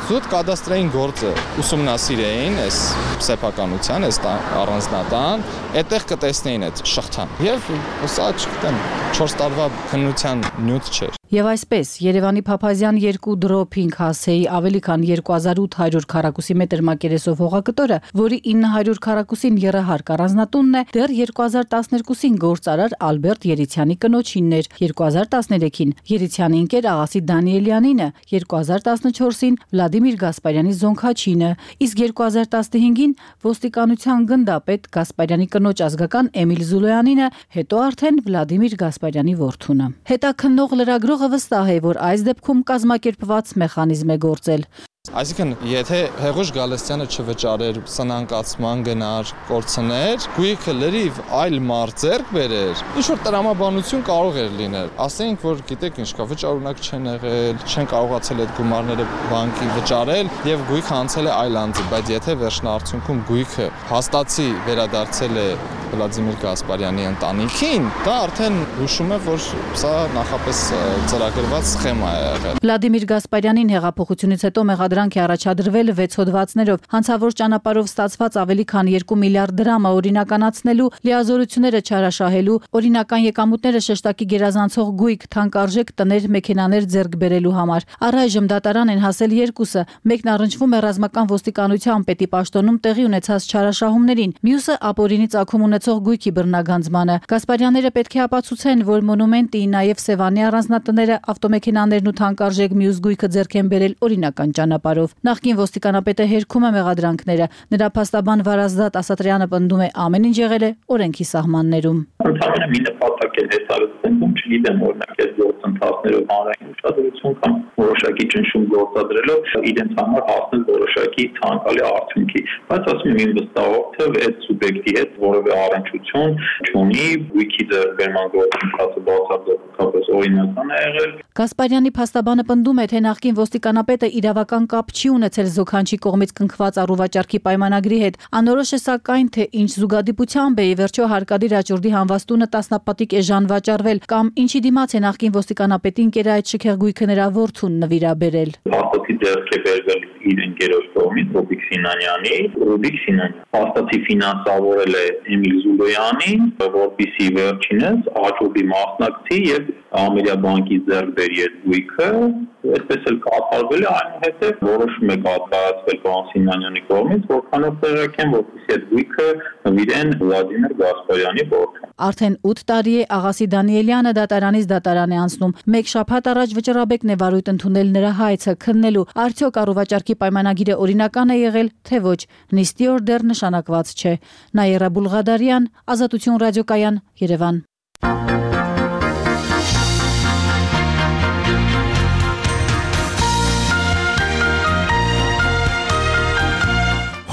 [SPEAKER 17] զուտ կադաստրային գործը ուսումնասիրեին այս սեփականության, այս առանձնատան, այդտեղ կտեսնեին այդ շղթան։ Եվ սա չգիտեմ 4 տարվա քննության նյութ չէր։
[SPEAKER 15] Եվ այսպես Երևանի Փափազյան 2 դրոպ 5 հասեի ավելի քան 2800 քառակուսի մետր մակերեսով հողակտորը, որի 900 քառակուսին եռահարկ առանձնատունն է, դեռ 2012-ին գործարար Ալբերտ Երիցյանի կնոջինն էր, 2013-ին Երիցյանի ընկեր Աղասի Դանիելյանինը, 2014-ին Վլադիմիր Գասպարյանի զոնքաչինը, իսկ 2015-ին ոստիկանության գնդապետ Գասպարյանի կնոջ ազգական Էմիլ Զուլոյանինը, հետո արդեն Վլադիմիր Գասպարյանի որդունը։ Հետաքննող լրագրողը վստահ է, որ այս դեպքում կազմակերպված մեխանիզմ է գործել։
[SPEAKER 17] Այսինքն, եթե Հեղուշ Գալստյանը չվճարեր, սնանկացման գնար, կորցներ, գույքը լրիվ այլ մարդ ձեռք բերեր, ինչ-որ տրամաբանություն կարող էր լինել։ Ասենք, որ գիտեք ինչ կա, վճարունակ չեն եղել, չեն կարողացել այդ գումարները բանկի վճարել եւ գույքը անցել է այլ անձի, բայց եթե վերջնարդյունքում գույքը հաստատի վերադարձել է Վլադիմիր Գասպարյանի ընտանիքին, դա արդեն հուշում է, որ սա նախապես ծրագրված սխեմա է եղել։
[SPEAKER 15] Վլադիմիր Գասպարյանին հեղափոխությունից հետո մեղադրանք է առաջադրվել 6 հոդվածներով, հանցավոր ճանապարհով ստացված ավելի քան 2 միլիարդ դրամը օրինականացնելու, լիազորությունները չարաշահելու, օրինական եկամուտները շեշտակի գերազանցող գույք, թանկարժեք տներ, մեքենաներ ձեռք բերելու համար։ Առայժմ դատարան են հասել 2-ը, մեկն առնչվում է ռազմական ոստիկանության պետի պաշտոնում տեղի ունեցած չարաշահումներին, մյուսը ապօրինի ծագում ունեցող գույքի բռնագանձմանը։ Գասպարյանները պետք է ապացուցեն, որ մոնումենտի, նաև Սևանի առանձնատները, ավտոմեքենաներն ու թանկարժեք մյուս գույքը ձեռք են բերել օրինական ճանապարհով։ Նախկին ոստիկանապետը հերքում է մեղադրանքները։ Նրա փաստաբան Վարազդատ Ասատրյանը պնդում է, ամեն ինչ եղել է օրենքի սահմաններում։
[SPEAKER 18] Ընդհանրապես մի նպատակ է դեսարեցնում, չգիտեմ, օրինակ այս գործընթացներով հանրային ուշադրություն կամ որոշակի ճնշում գործադրելով իրենց համար հասնել որոշակի ցանկալի արդյունքի, բայց ասում եմ, իմ վստահով այդ սուբյեկտի հետ որևէ առնչություն չունի, գույքի ձեռքբերման գործընթացը բացարձակապես օրինական է եղել։
[SPEAKER 15] Գասպարյանի փաստաբանը պնդում է, թե նախկին ոստիկանապետը իրավական կապ չի ունեցել զոքանչի կողմից կնքված առուվաճառքի պայմանագրի հետ։ Անորոշ է սակայն, թե ինչ զուգադիպությամբ է ի վերջո հարկադիր աճուրդի հանվաստունը տասնապատիկ էժան վաճառվել կամ ինչի դիմաց է նախկին ոստիկանապետին կերը այդ շքեղ գույքը նրա որդուն նվիրաբերել։
[SPEAKER 18] Փաստացի ձեռք է բերվել իր ընկերոջ կողմից Ռուբիկ Սինանյանի, Ռուբիկ Սինանյանը փաստացի ֆինանսավորել է Էմիլ Զուլոյանին, որպեսզի վերջինս աճուրդի մասնակցի եւ Ամերիկա բանկից ձեռք բերի այդ գույքը, այսպես էլ կատարվել է, այնուհետև որոշում է կատարվել պարոն Սինանյանի կողմից, որքանով տեղեկ են, որպեսզի այդ գույքը նվիրեն Վլադիմիր Գասպարյանի որդուն։
[SPEAKER 15] Արդեն 8 տարի է Աղասի Դանիելյանը դատարանից դատարան է անցնում։ Մեկ շաբաթ առաջ վճռաբեկն է վարույթ ընդունել նրա հայցը քննելու, արդյոք առողջարքի պայմանագիրը օրինական է եղել, թե ոչ։ Նիստի օր դեռ նշանակված չէ։ Նաիրա Բուլղադարյան, Ազատություն ռադիոկայան, Երևան։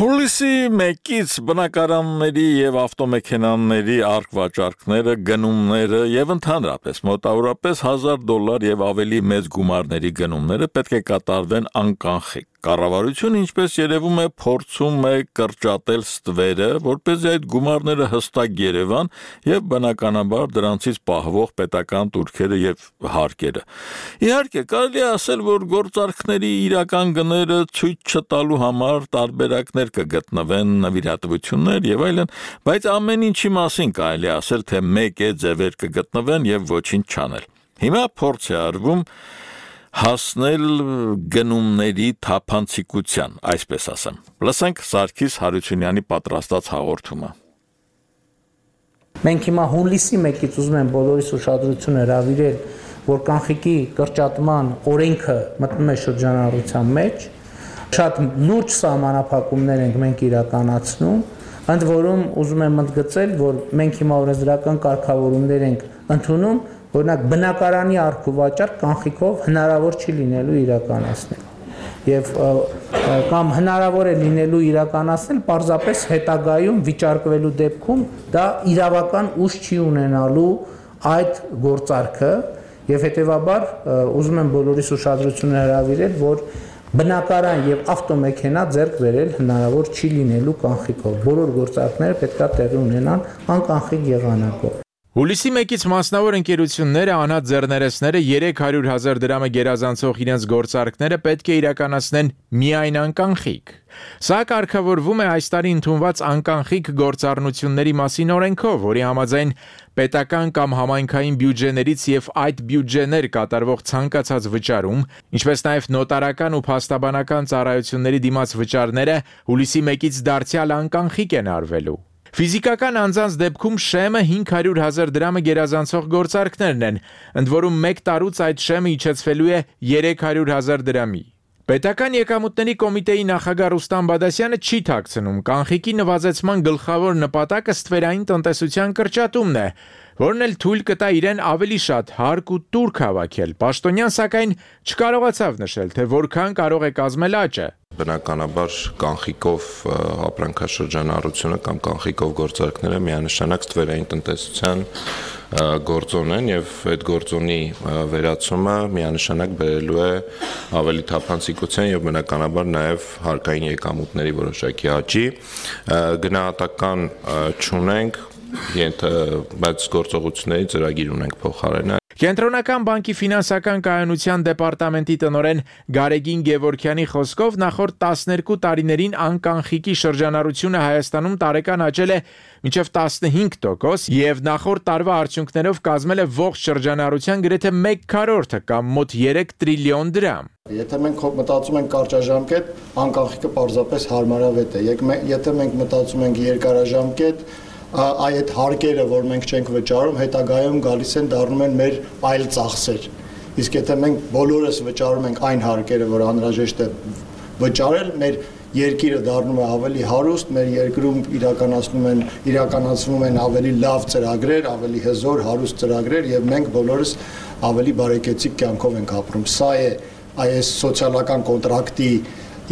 [SPEAKER 1] Հուլիսի 1-ից բնակարանների եւ ավտոմեքենաների արկվաճառքները, գնումները եւ ընդհանրապես մոտավորապես $1000 եւ ավելի մեծ գումարների գնումները պետք է կատարվեն անկանխիկ։ Կառավարությունը, ինչպես երևում է, փորձում է կրճատել ստվերը, որպեսզի այդ գումարները հստակ երևան եւ բնականաբար դրանցից պահվող պետական տուրքերը եւ հարկերը։ Իհարկե, կարելի է ասել, որ գործարքների իրական գները ցույց չտալու համար տարբերակներ կգտնվեն, նվիրատվություններ եւ այլն, բայց ամեն ինչի մասին կարելի է ասել, թե մեկ է ձևեր կգտնվեն եւ ոչինչ չանել։ Հիմա փորձ է արվում հասնել գնումների թափանցիկության, այսպես ասեմ։ Լսենք Սարգիս Հարությունյանի պատրաստած հաղորդումը։
[SPEAKER 13] Մենք հիմա հունիսի 1-ից ուզում եմ բոլորիս ուշադրությունը հրավիրել, որ կանխիկի կրճատման օրենքը մտնում է շրջանառության մեջ, շատ լուրջ սահմանափակումներ ենք մենք իրականացնում, ընդ որում ուզում եմ ընդգծել, որ մենք հիմա օրենսդրական կարգավորումներ ենք ընդունում, օրինակ բնակարանի առքուվաճառք կանխիկով հնարավոր չի լինելու իրականացնել։ Եվ կամ հնարավոր է լինելու իրականացնել պարզապես հետագայում վիճարկվելու դեպքում դա իրավական ուժ չի ունենալու այդ գործարքը եւ հետեւաբար ուզում եմ բոլորիս ուշադրությունը հրավիրել, որ բնակարան եւ ավտոմեքենա ձեռք բերել հնարավոր չի լինելու կանխիկով։ Բոլոր գործարքները պետք է տեղի ունենան անկանխիկ եղանակով։
[SPEAKER 19] Հուլիսի 1-ից մասնավոր ընկերությունները անհատ ձեռներեցները 300,000 դրամը գերազանցող իրենց գործարքները պետք է իրականացնեն միայն անկանխիկ։ Սա կարգավորվում է այս տարի ընդունված անկանխիկ գործառնությունների մասին օրենքով, որի համաձայն պետական կամ համայնքային բյուջեներից եւ այդ բյուջեներ կատարվող ցանկացած վճարում, ինչպես նաեւ նոտարական ու փաստաբանական ծառայությունների դիմաց վճարները հուլիսի 1-ից դարձյալ անկանխիկ են արվելու։ Ֆիզիկական անձանց դեպքում շեմը 500,000 դրամը գերազանցող գործարքներն են, ընդ որում 1 տարուց այդ շեմը իջեցվելու է 300,000 դրամի։ Պետական եկամուտների կոմիտեի նախագահ Ռուստամ Բադասյանը չի թաքցնում, կանխիկի նվազեցման գլխավոր նպատակը ստվերային տնտեսության կրճատումն է, որն էլ թույլ կտա իրեն ավելի շատ հարկ ու տուրք հավաքել։ Պաշտոնյան սակայն չկարողացավ նշել, թե որքան կարող է կազմել աճը։
[SPEAKER 20] Բնականաբար կանխիկով ապրանքաշրջանառությունը կամ կանխիկով գործարքները միանշանակ ստվերային տնտեսության գործոն են եւ այդ գործոնի վերացումը միանշանակ բերելու է ավելի թափանցիկության եւ բնականաբար նաեւ հարկային եկամուտների որոշակի աճի։ Գնահատական չունենք, բայց գործողությունների ծրագիր ունենք փոխարենը։
[SPEAKER 19] Կենտրոնական բանկի ֆինանսական կայունության դեպարտամենտի տնօրեն Գարեգին Գևորքյանի խոսքով նախորդ 12 տարիներին անկանխիկի շրջանառությունը Հայաստանում տարեկան աճել է մինչև 15% եւ նախորդ տարվա արդյունքներով կազմել է ողջ շրջանառության գրեթե 1/4 կամ մոտ 3 տրիլիոն դրամ։
[SPEAKER 21] Եթե մենք մտածում ենք կարճաժամկետ, անկանխիկը պարզապես հարմարավետ է։ Եթե մենք մտածում ենք երկարաժամկետ, այդ հարկերը, որ մենք չենք վճարում, հետագայում գալիս են դառնում են մեր այլ ծախսեր։ Իսկ եթե մենք բոլորս վճարում ենք այն հարկերը, որ անհրաժեշտ է վճարել, մեր երկիրը դառնում է ավելի հարուստ, մեր երկրում իրականացվում են ավելի լավ ծրագրեր, ավելի հզոր, հարուստ ծրագրեր եւ մենք բոլորս ավելի բարեկեցիկ կյանքով ենք ապրում։ Սա է այս սոցիալական կոնտրակտի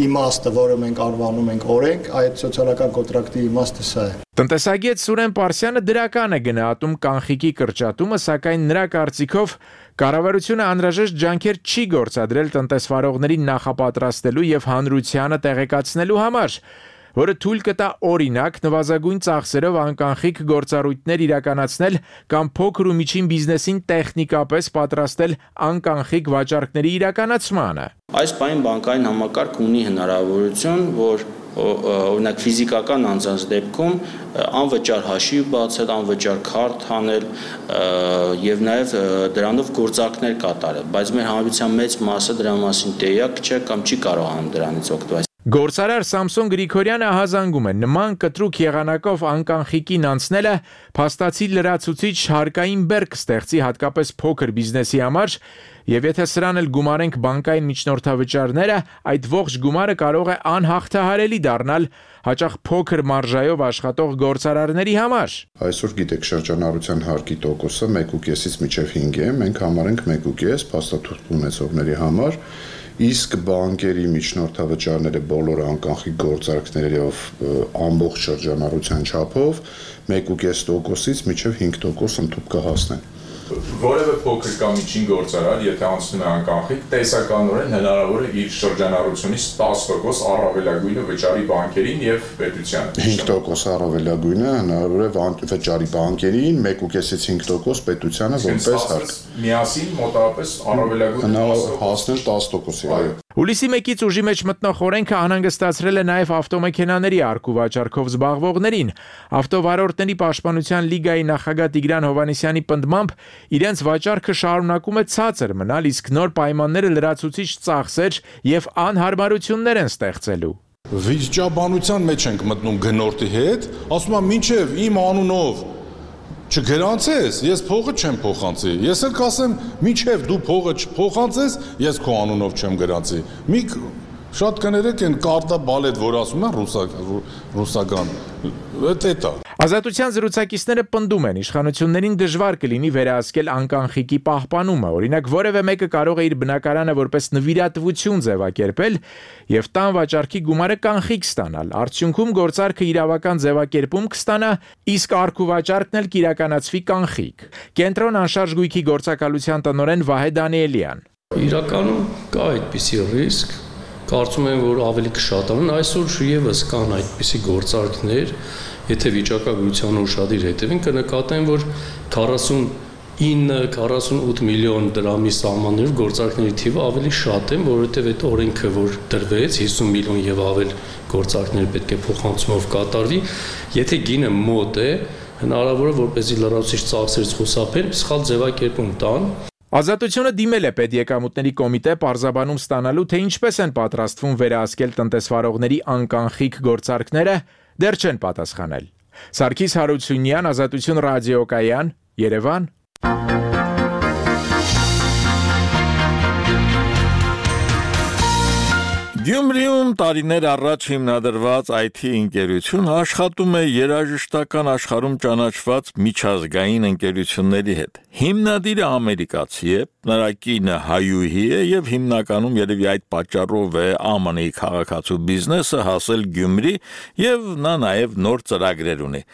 [SPEAKER 21] իմաստը, որը մենք անվանում ենք օրենք, այդ սոցիալական կոնտրակտի իմաստը սա է։
[SPEAKER 19] Տնտեսագետ Սուրեն Պարսյանը դրական է գնահատում կանխիկի կրճատումը, սակայն նրա կարծիքով կառավարությունը անհրաժեշտ ջանքեր չի գործադրել տնտեսվարողներին նախապատրաստելու եւ հանրությանը տեղեկացնելու համար։ որը թույլ կտա օրինակ նվազագույն ծախսերով անկանխիկ գործառույթներ իրականացնել կամ փոքր ու միջին բիզնեսին տեխնիկապես պատրաստել անկանխիկ վաճառքների իրականացմանը։
[SPEAKER 2] Այս պայն բանկային համակարգ ունի հնարավորություն, որ օրինակ ֆիզիկական անձանց դեպքում անվճար հաշիվ բացել, անվճար քարտ հանել եւ նաեւ դրանով գործարքներ կատարել, բայց մեր հանրության մեծ մասը դրա մասին տեղյակ չէ կամ չի կարողանում դրանից օգտվել։
[SPEAKER 19] Գործարար Սամսոն Գրիգորյանը հազանգում է նման կտրուկ եղանակով անկանխիկին անցնելը փաստացի լրացուցիչ հարկային բեռ կստեղծի հատկապես փոքր բիզնեսի համար, եւ եթե սրան էլ գումարենք բանկային միջնորդավճարները, այդ ողջ գումարը կարող է անհաղթահարելի դառնալ հաճախ փոքր մարժայով աշխատող գործարարների համար։
[SPEAKER 22] Այսօր գիտեք շրջանառության հարկի տոկոսը 1.5-ից մինչև 5 է, մենք համարենք 1.5 փաստաթուղթ ունեցողների համար, իսկ բանկերի միջնորդավճարները բոլոր անկանխիկ գործարքներով ամբողջ շրջանառության չափով 1.5%-ից մինչև 5% ընդհանուր կհասնեն։
[SPEAKER 1] Որևէ փոքր կամ միջին գործարար, եթե անցնում է անկանխիկ, տեսականորեն հնարավոր է իր շրջանառությունից 10% առավելագույնը վճարի բանկերին եւ պետությանը։ 5%
[SPEAKER 22] առավելագույնը հնարավոր է վճարի բանկերին, 1.5-ից 5% պետությանը որպես հարկ։
[SPEAKER 1] Միասին մոտավորապես առավելագույնը
[SPEAKER 22] հասնել 10%-ի, այո։
[SPEAKER 19] Հուլիսի 1-ից ուժի մեջ մտնող օրենքը անհանգստացրել է նաև ավտոմեքենաների առկու վաճառքով զբաղվողներին։ Ավտովարորդների պաշտպանության լիգայի նախագահ Տիգրան Հովհաննիսյանի պնդմամբ իրենց վաճառքը շարունակում է ցածր մնալ, իսկ նոր պայմանները լրացուցիչ ծախսեր եւ անհարմարություններ են ստեղծելու։
[SPEAKER 23] Վիճաբանության մեջ ենք մտնում գնորդի հետ, ասում եմ մինչև իմ անունով չգրանցես, ես փողը չեմ փոխանցի։ Ես էլ կասեմ, մինչև դու փողը չփոխանցես, ես քո անունով չեմ գրանցի։ Մի շատ կներեք են կարտա բալետ, որ ասում են ռուսական, դա։
[SPEAKER 19] Ազատության զրուցակիցները պնդում են, իշխանություններին դժվար կլինի վերահսկել անկանխիկի պահպանումը, օրինակ որևէ մեկը կարող է իր բնակարանը որպես նվիրատվություն ձևակերպել եւ տան վաճառքի գումարը կանխիկ ստանալ, արդյունքում գործարքը իրավական ձևակերպում կստանա, իսկ առկու վաճառքն էլ կիրականացվի կանխիկ։ Կենտրոն անշարժ գույքի գործակալության տնօրեն Վահե Դանիելյան։
[SPEAKER 24] Իրականում կա այդպիսի ռիսկ, կարծում եմ, որ ավելի կշատանան, այսօր եւս կան այդպիսի գործարքներ, եթե վիճակագրության ուշադիր հետևին կնկատեն, որ 49-48 միլիոն դրամի սահմաններով գործարքների թիվը ավելի շատ են, որովհետև այդ օրենքը, որ դրվեց 50 միլիոն եւ ավել գործարքներ պետք է փոխանցումով կատարվի, եթե գինը մոտ է, հնարավոր է որպեսզի լրացուցիչ ծախսերից խուսափեն, սխալ ձևակերպում տան։
[SPEAKER 19] Ազատությունը դիմել է պետեկամուտների կոմիտե պարզաբանում ստանալու, թե ինչպես են պատրաստվում վերահսկել տնտեսվարողների անկանխիկ գործարքները, դեռ չեն պատասխանել։ Սարգիս Հարությունյան, Ազատություն ռադիոկայան, Երևան։
[SPEAKER 1] Գյումրիում տարիներ առաջ հիմնադրված IT ընկերություն աշխատում է երաժշտական աշխարհում ճանաչված միջազգային ընկերությունների հետ։ Հիմնադիրը ամերիկացի է, նրա կինը հայուհի է եւ հիմնականում երևի այդ պատճառով է ԱՄՆ-ի քաղաքացու բիզնեսը հասել Գյումրի եւ նա նաեւ նոր ծրագրեր ունի։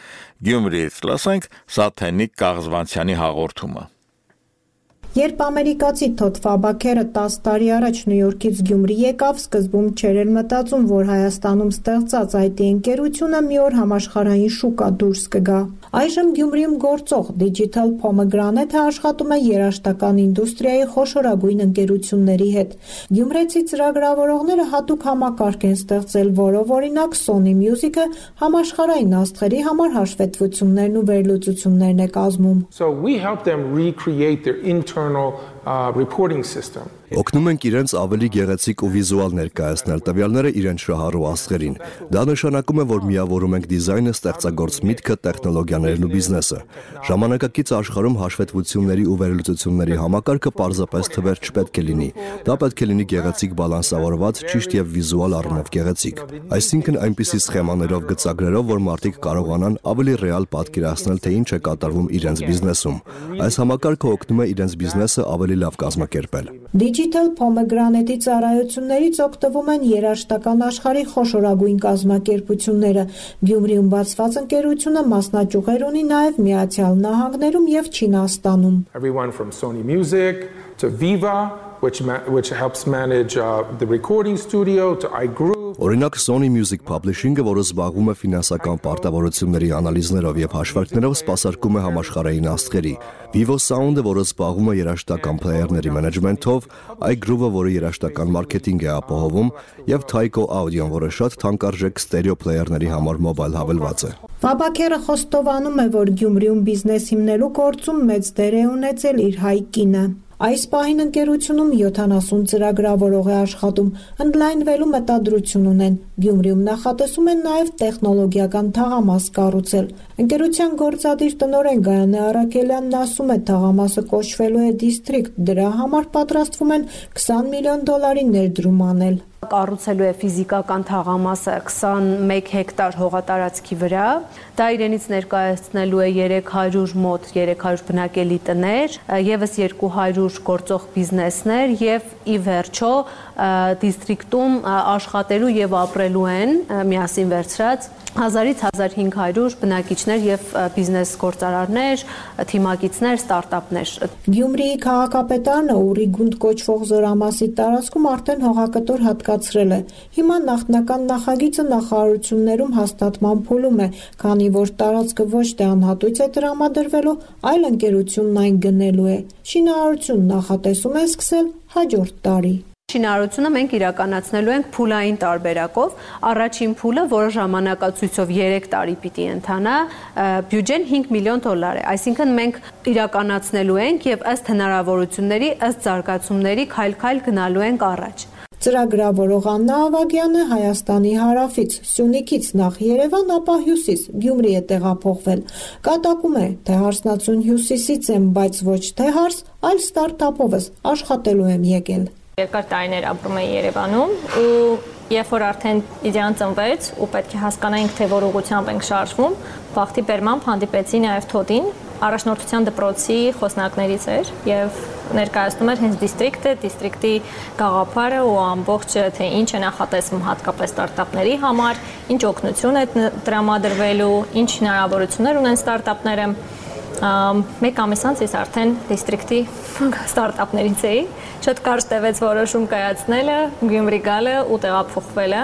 [SPEAKER 1] Գյումրիից լսենք Սաթենիկ Կաղզվանցյանի հաղորդումը։
[SPEAKER 25] Երբ ամերիկացի Թոդ Ֆաբաքերը 10 տարի առաջ Նյու Յորքից Գյումրի եկավ, սկզբում չէր էլ մտածում, որ Հայաստանում ստեղծած IT ընկերությունը մի օր համաշխարհային շուկա դուրս կգա։ Այժմ Գյումրիում գործող Digital Pomegranate-ը աշխատում է երաժշտական ինդուստրիայի խոշորագույն ընկերությունների հետ։ Գյումրեցի ծրագրավորողները հատուկ համակարգ են ստեղծել, որով օրինակ Sony Music-ը համաշխարհային աստղերի համար հաշվետվություններն ու վերլուծություններն է կազմում։
[SPEAKER 26] So we help them recreate their internal reporting system.
[SPEAKER 27] Օգնում ենք իրենց ավելի գեղեցիկ ու վիզուալ ներկայացնել տվյալները իրենց շահառու աստղերին։ Դա նշանակում է, որ միավորում ենք դիզայնը, ստեղծագործ միտքը, տեխնոլոգիաներն ու բիզնեսը։ Ժամանակակից աշխարհում հաշվետվությունների ու վերլուծությունների համակարգը պարզապես թվեր չպետք է լինի։ Դա պետք է լինի գեղեցիկ բալանսավորված, ճիշտ եւ վիզուալ առումով գեղեցիկ։ Այսինքն այնպիսի սխեմաներով, գծագրերով, որ մարդիկ կարողանան ավելի ռեալ պատկերացնել, թե ինչ է կատարվում իրենց բիզնեսում։ Այս համակարգը օգնում է իրենց բիզնեսը ավելի լավ կազմակերպել։
[SPEAKER 25] Digital Pomegranate-ի ծառայություններից օգտվում են երաժշտական աշխարհի խոշորագույն կազմակերպությունները։ Գյումրիում բացված ընկերությունը մասնաճյուղեր ունի նաև Միացյալ Նահանգներում եւ Չինաստանում։
[SPEAKER 26] Everyone from Sony Music to Viva, which helps manage the recording studio, to iGroove.
[SPEAKER 27] Օրինակ Sony Music Publishing-ը, որը զբաղվում է ֆինանսական պարտավորությունների անալիզներով եւ հաշվարկներով, սպասարկում է համաշխարհային աստղերի, Vivo Sound-ը, որը զբաղվում է երաժշտական փլեյերների մենեջմենթով, iGroove-ը, որը երաժշտական մարքեթինգ է ապահովում, եւ Tyco Audio-ն, որը շատ թանկարժեք ստերեո փլեյերների համար մոբայլ հավելված է։
[SPEAKER 25] Ֆաբաքերը խոստովանում է, որ Գյումրիում բիզնես հիմնելու գործում մեծ դեր է ունեցել իր հայ կինը։ Այս պահին ընկերությունում 70 ծրագրավորող է աշխատում, ընդլայնվելու մտադրություն ունեն։ Գյումրիում նախատեսում են նաև տեխնոլոգիական թաղամաս կառուցել։ Ընկերության գործադիր տնօրեն Գայանե Արաքելյանն ասում է, թաղամասը կոչվելու է District, դրա համար պատրաստվում են $20 միլիոն ներդրում անել։
[SPEAKER 3] Կառուցելու է ֆիզիկական թաղամասը 21 հեկտար հողատարածքի վրա։ Դա իրենից ներկայացնելու է 300 բնակելի տներ, եւս 200 գործող բիզնեսներ եւ ի վերջո դիստրիկտում աշխատելու եւ ապրելու են միասին վերցրած 1000-ից 1500 բնակիչներ եւ բիզնես գործարարներ, թիմակիցներ, ստարտափներ։
[SPEAKER 25] Գյումրիի քաղաքապետարանը Ուրիգունդ կոչվող զորամասի տարածքում արդեն հողակտոր հատկացրել է։ Հիմա նախնական նախագիծը նախարարություններում հաստատման փուլում է, քանի որ տարածքը ոչ թե անհատույց է տրամադրվելու, այլ ընկերությունն այն գնելու է։ Շինարարությունն նախատեսում է սկսել հաջորդ տարի։
[SPEAKER 3] Շինարարությունը մենք իրականացնելու ենք փուլային տարբերակով։ Առաջին փուլը, որը ժամանակացույցով 3 տարի պիտի ընթանա, բյուջեն $5 միլիոն է։ Այսինքն մենք իրականացնելու ենք եւ ըստ հնարավորությունների, ըստ զարգացումների քայլ-քայլ գնալու ենք առաջ։
[SPEAKER 25] Ծրագրավորող Աննա Ավագյանը Հայաստանի հարավից, Սյունիքից նախ Երևան, ապա Հյուսիս, Գյումրի է տեղափոխվել։ Կատակում է, թե հարսնացուն Հյուսիսից եմ, բայց ոչ թե հարս, այլ ստարտափովս աշխատելու եմ եկել։
[SPEAKER 4] Երկար տարիներ ապրում էի Երևանում ու երբ որ արդեն իդեան ծնվեց ու պետք է հասկանայինք, թե որ ուղղությամբ ենք շարժվում, բախտի բերմամբ հանդիպեցի նաև Թոդին, առաջնորդության դպրոցի խոսնակներից էր եւ ներկայացնում էր հենց դիստրիկտի գաղափարը ու ամբողջ թե ինչ է նախատեսվում հատկապես ստարտափների համար, ինչ օգնություն է տրամադրվելու, ինչ հնարավորություններ ունեն ստարտափները։ Մեկ ամիս անց ես արդեն դիստրիկտի ստարտափներից էի, շատ կարճ տևեց որոշում կայացնելը, Գյումրի գալը ու տեղափոխվելը։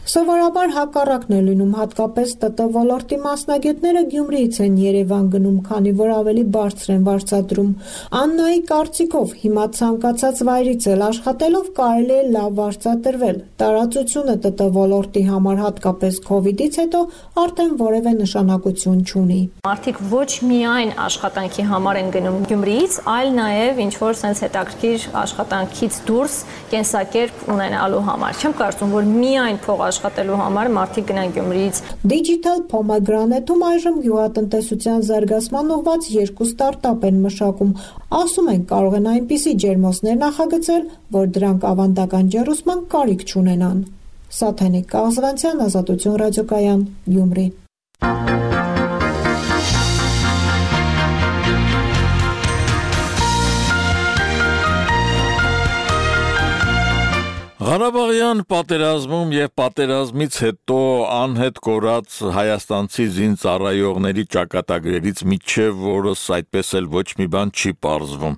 [SPEAKER 25] Սովորաբար հակառակն է լինում, հատկապես ՏՏ ոլորտի մասնագետները Գյումրիից են Երևան գնում, քանի որ ավելի բարձր են վարձատրում։ Աննայի կարծիքով հիմա ցանկացած վայրից էլ աշխատելով կարելի է լավ վարձատրվել։ Տարածությունը ՏՏ ոլորտի համար հատկապես COVID-ից հետո արդեն որևէ նշանակություն չունի։
[SPEAKER 4] Մարդիկ ոչ միայն աշխատանքի համար են գնում Գյումրիից, այլ նաև ինչ որ sense հետաքրքիր աշխատանքից դուրս կենսակերպ ունենալու համար։ Չեմ կարծում, որ միայն փող աշխատելու համար մարդիկ գնան Գյումրիից։ Digital
[SPEAKER 25] Pomegranate-ում այժմ գյուղատնտեսության զարգացման ուղղված 2 ստարտափ են մշակում։ Ասում են, կարող են այնպիսի ջերմոցներ նախագծել, որ դրանք ավանդական ջեռուսման կարիք չունենան։ Սաթենիկ Կաղզվանցյան, Ազատություն ռադիոկայան, Գյումրի։
[SPEAKER 1] Ղարաբաղյան պատերազմում եւ պատերազմից հետո անհետ կորած հայաստանցի զինծառայողների ճակատագրերից միջև որս այդպես էլ ոչ մի բան չի պարզվում։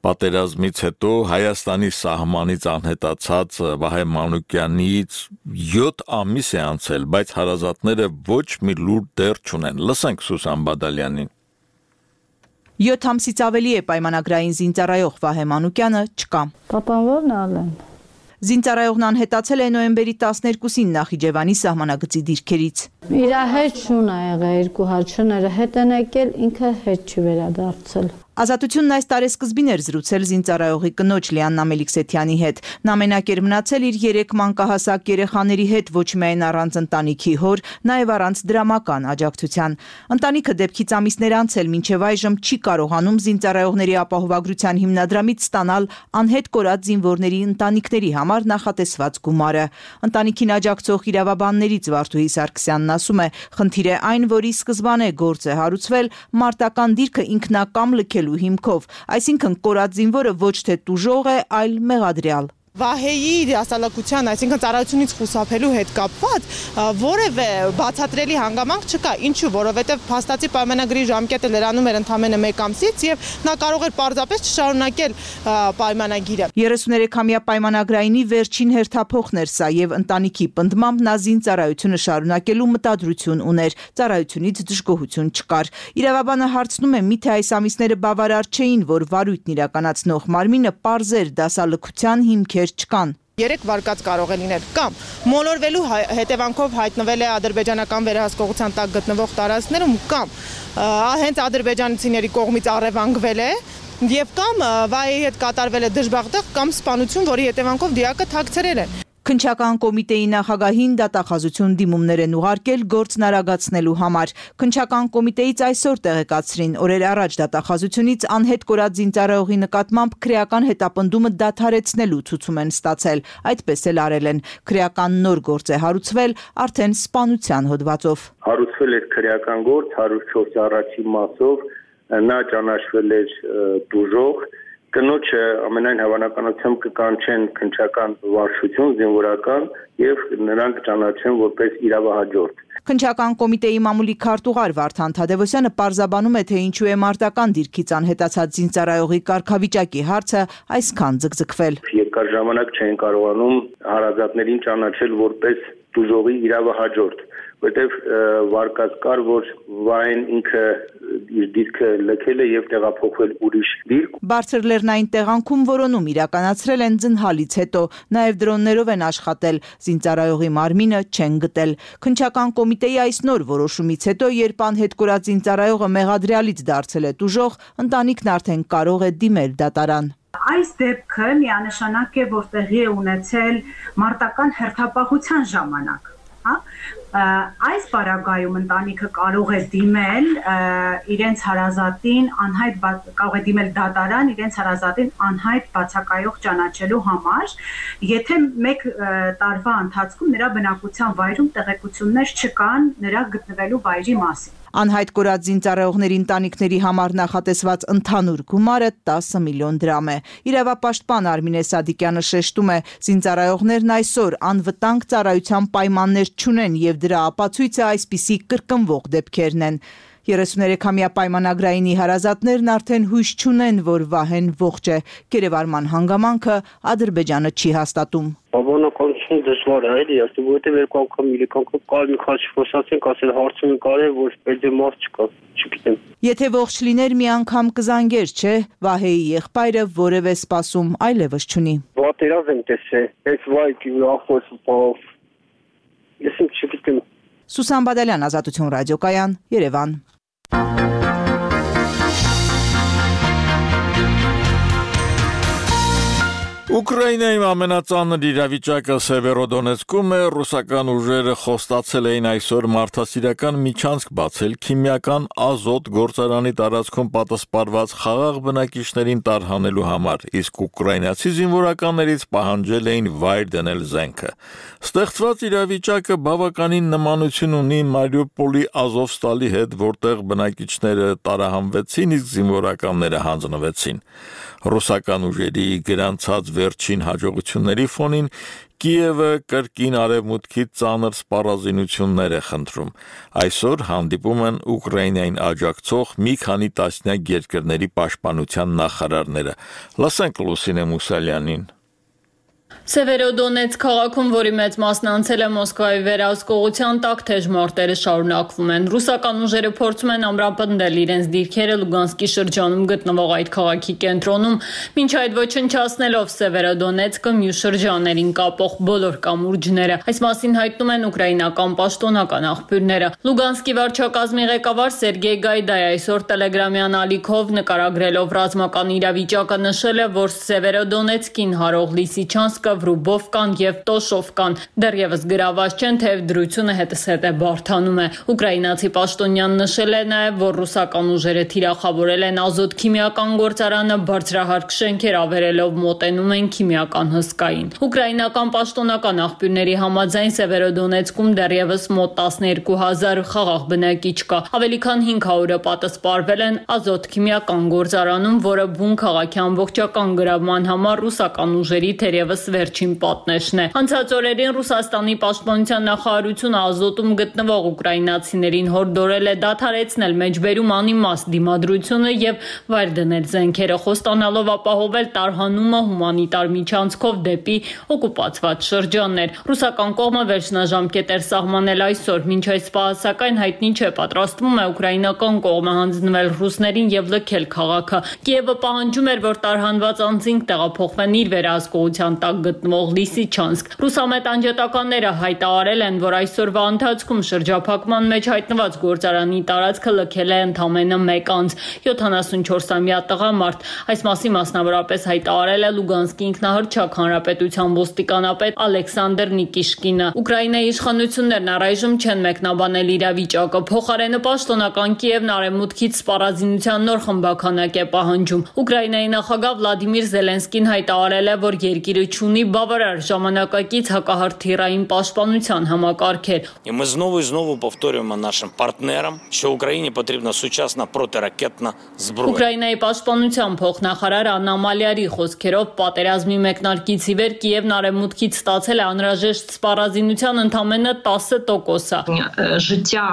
[SPEAKER 1] Պատերազմից հետո Հայաստանի սահմանից անհետացած Վահե Մանուկյանից 7 ամիս է անցել, բայց հարազատները ոչ մի լուր դեռ չունեն։ Լսենք Սուսան Բադալյանին։
[SPEAKER 5] 7 ամսից ավելի է պայմանագրային զինծառայող Վահե Մանուկյանը չկա։
[SPEAKER 6] Պապան ո՞րն ալեն։
[SPEAKER 5] Զինծառայողն անհետացել է նոյեմբերի 12-ին Նախիջևանի սահմանագծի դիրքերից։
[SPEAKER 6] Իր հետ շուն ա եղել, 2 հաճները հետ են եկել, ինքը հետ չի վերադարձել։
[SPEAKER 5] Ազատությունն այս տարեսկզբին էր զրուցել զինծառայողի կնոջ Լիաննա Մելիքսեթյանի հետ։ Նա մենակ էր մնացել իր 3 մանկահասակ երեխաների հետ, ոչ միայն առանց ընտանիքի հոր, նաև առանց դրամական աջակցության։ Ընտանիքը դեպքից ամիսներ անցել, մինչև այժմ չի կարողանում զինծառայողների ապահովագրության հիմնադրամից ստանալ անհետ կորած զինվորների ընտանիքների համար նախատեսված գումարը։ Ընտանիքին աջակցող իրավաբաններից Վարդուհի Սարգսյանն ասում է, խնդիրը այն, որի սկզբանե գործ է հարուցվել մարտական դիրքը ինքնակամ լքել հիմքով, այսինքն կորած զինվորը ոչ թե տուժող է, այլ մեղադրյալ։
[SPEAKER 7] Վահեի դասալակության, այսինքն ծառայությունից խուսափելու հետ կապված որևէ բացատրելի հանգամանք չկա։ Ինչու՞, որովհետև փաստացի պայմանագրի ժամկետը լրանում էր ընդամենը 1 ամսից եւ նա կարող էր պարզապես չշարունակել պայմանագիրը։
[SPEAKER 5] 33-ամյա պայմանագրայինի վերջին հերթափոխն էր սա եւ ընտանիքի պնդմամբ նա զինծառայությունը շարունակելու մտադրություն ուներ։ Ծառայությունից դժգոհություն չկար։ Իրավաբանը հարցնում է, միթե այս ամիսները բավարար չէին, որ վարույթն իրականացնող մարմինը պարզեր դասալքության հիմքեր չկան։
[SPEAKER 7] 3 վարկած կարող է լինել կամ մոլորվելու հետևանքով հայտնվել է ադրբեջանական վերահսկողության տակ գտնվող տարածքներում կամ հենց ադրբեջանցիների կողմից առևանգվել է եւ կամ վայրի հետ կատարվել է դժբախտեղ կամ սպանություն, որի հետևանքով դիակը թաքցրել են։
[SPEAKER 5] Քննչական կոմիտեի նախագահին դատախազություն դիմումներ են ուղարկել գործն արագացնելու համար։ Քննչական կոմիտեից այսօր տեղեկացրին, օրեր առաջ դատախազությունից անհետ կորած զինծառայողի նկատմամբ քրեական հետապնդումը դադարեցնելու ցուցում են ստացել։ Այդպես էլ արել են։ Քրեական նոր գործ է հարուցվել արդեն սպանության հոդվածով։
[SPEAKER 8] Հարուցվել էր քրեական գործ 104 առաջի մասով, նա ճանաչվել էր դուժող, կնոջը ամենայն հավանականությամբ կկանչեն քննչական վարչություն, զինվորական եւ նրանք կճանաչեն որպես իրավահաջորդ։
[SPEAKER 5] Քննչական կոմիտեի մամուլի քարտուղար Վարդան Թադևոսյանը պարզաբանում է, թե ինչու է մարտական դիրքից անհետացած զինծառայողի կարգավիճակի հարցը այսքան ձգձգվել։
[SPEAKER 8] Երկար ժամանակ չեն կարողանում հարազատներին ճանաչել որպես դուժողի իրավահաջորդ, որտեղ վարկած կար, որ Վահեն ինքը իր դիրքը լքել է եւ տեղափոխվել ուրիշ դիրք։
[SPEAKER 5] Բարձր լեռնային տեղանքում որոնում իրականացրել են ձնհալից հետո, նաեւ դրոններով են աշխատել, զինծառայողի մարմինը չեն գտել։ Քննչական կոմիտեի այս նոր որոշումից հետո, երբ անհետ կորած զինծառայողը մեղադրյալից դարձել է դուժող, ընտանիքն արդեն կարող է դիմել դատարան։
[SPEAKER 9] Այս դեպքը միանշանակ է, որ տեղի է ունեցել մարտական հերթապահության ժամանակ, հա? Այս պարագայում ընտանիքը կարող է դիմել իրենց հարազատին կարող է դիմել դատարան իրենց հարազատին անհայտ բացակայող ճանաչելու համար, եթե 1 տարվա ընթացքում նրա բնակության վայրում տեղեկություններ չկան նրա գտնվելու վայրի մասին։
[SPEAKER 5] Անհայտ կորած զինծառայողների ընտանիքների համար նախատեսված ընդհանուր գումարը 10 միլիոն դրամ է։ Իրավապաշտպան Արմինե Սադիկյանը շեշտում է, զինծառայողներն այսօր անվտանգ ծառայության պայմաններ չունեն եւ դրա ապացույցը այսպիսի կրկնվող դեպքերն են։ 33-ամյա պայմանագրայինի հարազատներն արդեն հույս չունեն, որ Վահեն ողջ է։ Կերևարման հանգամանքը Ադրբեջանը չի հաստատում։
[SPEAKER 10] Բավականություն դժվար է, էլի, ասեմ, որովհետև 2 անգամ, 3 անգամ կար մի քիչ խոսացենք, ասել հարցում կարել, որ պետք է մարդ չկա, չգիտեմ։
[SPEAKER 5] Եթե ողջ լիներ մի անգամ կզանգեր, չէ՞, Վահեի եղբայրը որևէ սպասում այլևս չունի։
[SPEAKER 10] Պատերազմ եմ տեսել, այս վայքի ախոսով, ես չգիտեմ։
[SPEAKER 5] Սուսան Բադալյան, Ազատություն ռադիոկայան, Երևան։
[SPEAKER 1] Ուկրաինայում ամենածանր իրավիճակը Սևերոդոնեցկում է, ռուսական ուժերը խոստացել էին այսօր մարդասիրական միջանցք բացել քիմիական ազոտ գործարանի տարածքում պատասպարված խաղաղ բնակիչներին տարհանելու համար, իսկ ուկրաինացի զինվորականներից պահանջել էին վայր դնել զենքը։ Ստեղծված իրավիճակը բավականին նմանություն ունի Մարիուպոլի Ազովստալի հետ, որտեղ բնակիչները տարահանվեցին, իսկ զինվորականները հանձնվեցին։ Ռուսական ուժերի գրանցած վերջին հաջողությունների ֆոնին Կիևը կրկին արևմուտքի ծանր սպառազինություններ է խնդրում։ Այսօր հանդիպում են Ուկրաինային աջակցող մի քանի տասնյակ երկրների պաշտպանության նախարարները։ Լսենք Լուսինե Մուսալյանին։
[SPEAKER 11] Սևերոդոնեցկ քաղաքում, որի մեծ մասն անցել է Մոսկվայի վերահսկողության տակ, թեժ մարտերը շարունակվում են։ Ռուսական ուժերը փորձում են ամրապնդել իրենց դիրքերը Լուգանսկի շրջանում գտնվող այդ քաղաքի կենտրոնում, մինչ այդ ոչնչացնելով Սևերոդոնեցկը մյուս շրջաններին կապող բոլոր կամուրջները։ Այս մասին հայտնում են ուկրաինական պաշտոնական աղբյուրները։ Լուգանսկի վարչակազմի ղեկավար Սերգեյ Գայդայի այսօր տելեգրամյան ալիքով նկարագրելով ռազմական իրավիճակը նշել է, որ Սևերոդոնեցկին հարող Լիսիչանսկը, Վրուբովկան եւ Տոշովկան դեռևս գրաված չեն, թեև դրությունը հետզհետե բարդանում է։ Ուկրաինացի պաշտոնյան նշել է նաեւ, որ ռուսական ուժերը թիրախավորել են ազոտ քիմիական գործարանը, բարձրահարկ շենքեր ավերելով մոտենում են քիմիական հսկային։ Ուկրաինական պաշտոնական աղբյուրների համաձայն Սևերոդոնեցկում դեռևս մոտ 12000 խաղաղ բնակիչ կա։ Ավելի քան 500-ը պատասպարվել են ազոտ քիմիական գործարանում, որը բուն քաղաքի ամբողջական գրավման համար ռուսական ուժերի թերևս վերջին պատնեշն է։ Անցած օրերին Ռուսաստանի պաշտպանության նախարարությունը Ազոտում գտնվող ուկրաինացիներին հորդորել է դադարեցնել մեջբերում անիմաստ դիմադրությունը եւ վայր դնել զենքերը, խոստանալով ապահովել տարհանումը հումանիտար միջանցքով դեպի օկուպացված շրջաններ։ Ռուսական կողմը վերջնաժամկետ էր սահմանել այսօր, մինչ այս պահը սակայն հայտնի չէ պատրաստվում է ուկրաինական կողմը հանձնվել ռուսներին եւ լքել քաղաքը։ Կիևը պահանջում էր, որ տարհանված անձինք տեղափոխվեն իր վերահսկողության տակ գտնվող Լիսիչանսկ։ Ռուսամետ անջատականները հայտարարել են, որ այսօրվա ընթացքում շրջափակման մեջ հայտնված գործարանի տարածքը լքել է ընդամենը 1 անձ, 74-ամյա տղամարդ։ Այս մասին մասնավորապես հայտարարել է Լուգանսկի ինքնահռչակ հանրապետության ոստիկանապետ Ալեքսանդր Նիկիշկինը։ Ուկրաինայի իշխանություններն առայժմ չեն մեկնաբանել իրավիճակը։ Փոխարենը պաշտոնական Կիևն արևմուտքից սպառազինության նոր խմբաքանակ է պահանջում։ Ուկրաինայի նախագահ Վլադիմիր Զելենսկին հայտարարել է, որ երկիրը ունի բավարար ժամանակակից հակահրթիռային պաշտպանության համակարգեր։
[SPEAKER 12] Ми знову і знову повторюємо нашим партнерам, що Україні потрібна сучасна протиракетна зброя.
[SPEAKER 11] Ուկրաինայի պաշտպանության փոխնախարար Աննա Մալյարի խոսքերով պատերազմի մեկնարկից ի վեր Կիևն արևմուտքից ստացել է անհրաժեշտ սպառազինության ընդամենը 10%։
[SPEAKER 13] Життя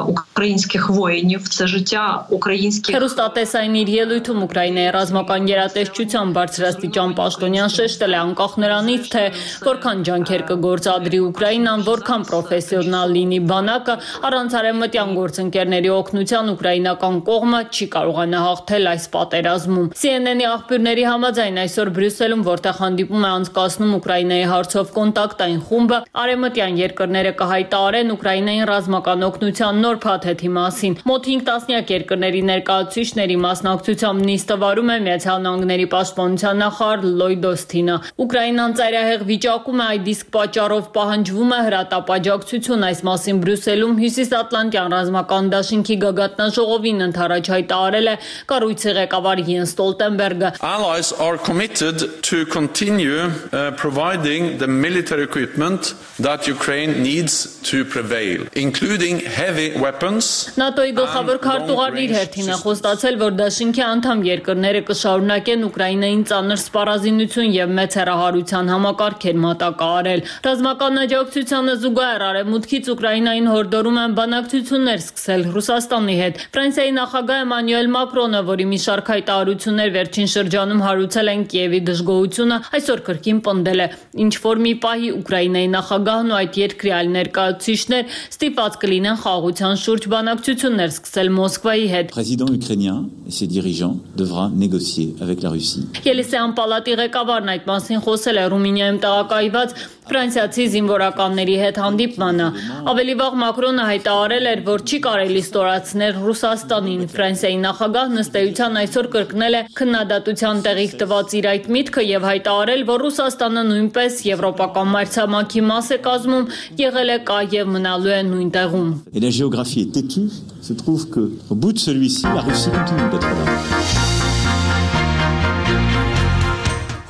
[SPEAKER 13] українських воїнів, це життя українських...
[SPEAKER 11] Հեռուստատեսային իր ելույթում Ուկրաինայի ռազմական գերատեսչության բարձրաստիճան պաշտոնյան շեշտել է անկախ նրանից, թե որքան ջանքեր կգործադրի Ուկրաինան, որքան պրոֆեսիոնալ լինի բանակը, առանց արևմտյան գործընկերների օգնության ուկրաինական կողմը չի կարողանա հաղթել այս պատերազմում։ CNN-ի աղբյուրների համաձայն այսօր Բրյուսելում, որտեղ հանդիպում է անցկացնում Ուկրաինայի հարցով կոնտակտային խումբը, արևմտյան երկրները կհայտարարեն Ուկրաինային ռազմական օգնության նոր փաթեթի մասին։ Մոտ 5 տասնյակ երկրների ներկայացուցիչների մասնակցությամբ նիստը վարում է Միացյալ Նահանգների պաշտպանության նախարար Լոյդ Օսթինը։ Ուկրաինան ծայրահեղ վիճակում է, այդ իսկ պատճառով պահանջվում է հրատապաջակցություն։ Այս մասին Բրյուսելում Հյուսիսատլանտյան ռազմական դաշինքի գագաթնաժողովին ընդառաջ հայտարարել է կառույցի ղեկավար Յենս Ստոլտենբերգը։
[SPEAKER 14] Allies are committed to continue providing the military equipment that Ukraine needs to prevail, including heavy weapons.
[SPEAKER 11] ՆԱՏՕ-ի գլխավոր քարտուղարն իր հերթին է խոստացել, որ դաշինքի անդամ երկրները կշարունակեն Ուկրաինային ծանր սպառազինություն եւ մեծ հեռահարության համակարգեր մատակարարել։ Ռազմական աջակցությանը զուգահեռ արևմուտքից Ուկրաինային հորդորում են բանակցություններ սկսել Ռուսաստանի հետ։ Ֆրանսիայի նախագահ Էմանուել Մակրոնը, որի մի շարք հայտարարություններ վերջին շրջանում հարուցել են Կիևի դժգոհությունը, այսօր կրկին պնդել է, ինչ որ մի պահի Ուկրաինայի նախագահն ու այդ երկրի այլ ներկայացուցիչներ ստիպված կլինեն խաղաղության շուրջ բանակցություններ սկսել Մոսկվայի հետ։
[SPEAKER 15] Président ukrainien et ses dirigeants devra négocier avec la Russie.
[SPEAKER 11] Ելիսեան պալատի ղեկավարն այդ մասին խոսել է Ռումինիայում տեղակայված ֆրանսիացի զինվորականների հետ հանդիպմանը։ Ավելի վաղ Մակրոնը հայտարարել էր, որ չի կարելի ստորացնել Ռուսաստանին։ Ֆրանսիայի նախագահն ըստ էության այսօր կրկնել է քննադատության տեղիք տված իր այդ միտքը եւ հայտարարել, որ Ռուսաստանը նույնպես եվրոպական մայրցամաքի մաս է կազմում, եղել է, կա եւ մնալու է նույն տեղում։
[SPEAKER 15] Et la géographie est têtue, se trouve que au bout de celui-ci, la Russie continue d'être là.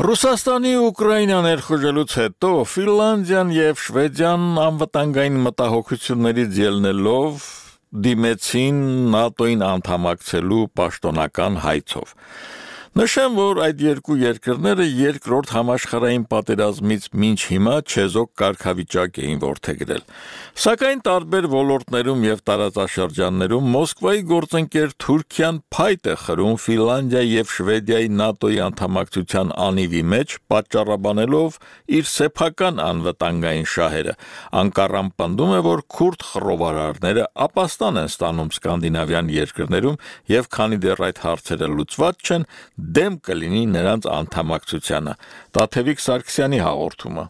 [SPEAKER 1] Ռուսաստանի Ուկրաինա ներխուժելուց հետո Ֆինլանդիան եւ Շվեդիան անվտանգային մտահոգություններից ելնելով դիմեցին ՆԱՏՕ-ին անդամակցելու պաշտոնական հայցով։ Նշեմ, որ այդ երկու երկրները երկրորդ համաշխարհային պատերազմից մինչ հիմա չեզոք կարգավիճակ էին որդեգրել։ Սակայն տարբեր ոլորտներում եւ տարածաշրջաններում Մոսկվայի գործընկեր Թուրքիան փայտ է խրում Ֆինլանդիայի եւ Շվեդիայի ՆԱՏՕ-ի անդամակցության անիվի մեջ, պատճառաբանելով իր սեփական անվտանգային շահերը։ Անկարան պնդում է, որ քուրդ խռովարարները ապաստան են ստանում սկանդինավյան երկրներում եւ քանի դեռ այդ հարցերը լուծված չեն, դեմ կլինի նրանց անդամակցությանը։ Տաթևիկ Սարգսյանի հաղորդումը։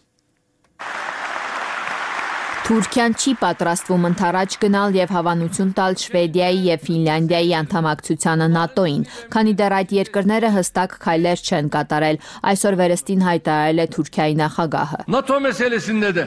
[SPEAKER 16] Թուրքիան չի պատրաստվում ընդառաջ գնալ եւ հավանություն տալ Շվեդիայի եւ Ֆինլանդիայի անդամակցությանը ՆԱՏՕ-ին, քանի դեռ այդ երկրները հստակ քայլեր չեն կատարել, այսօր վերստին հայտարարել է Թուրքիայի նախագահը։
[SPEAKER 17] ՆԱՏՕ մեսելեսինդե դե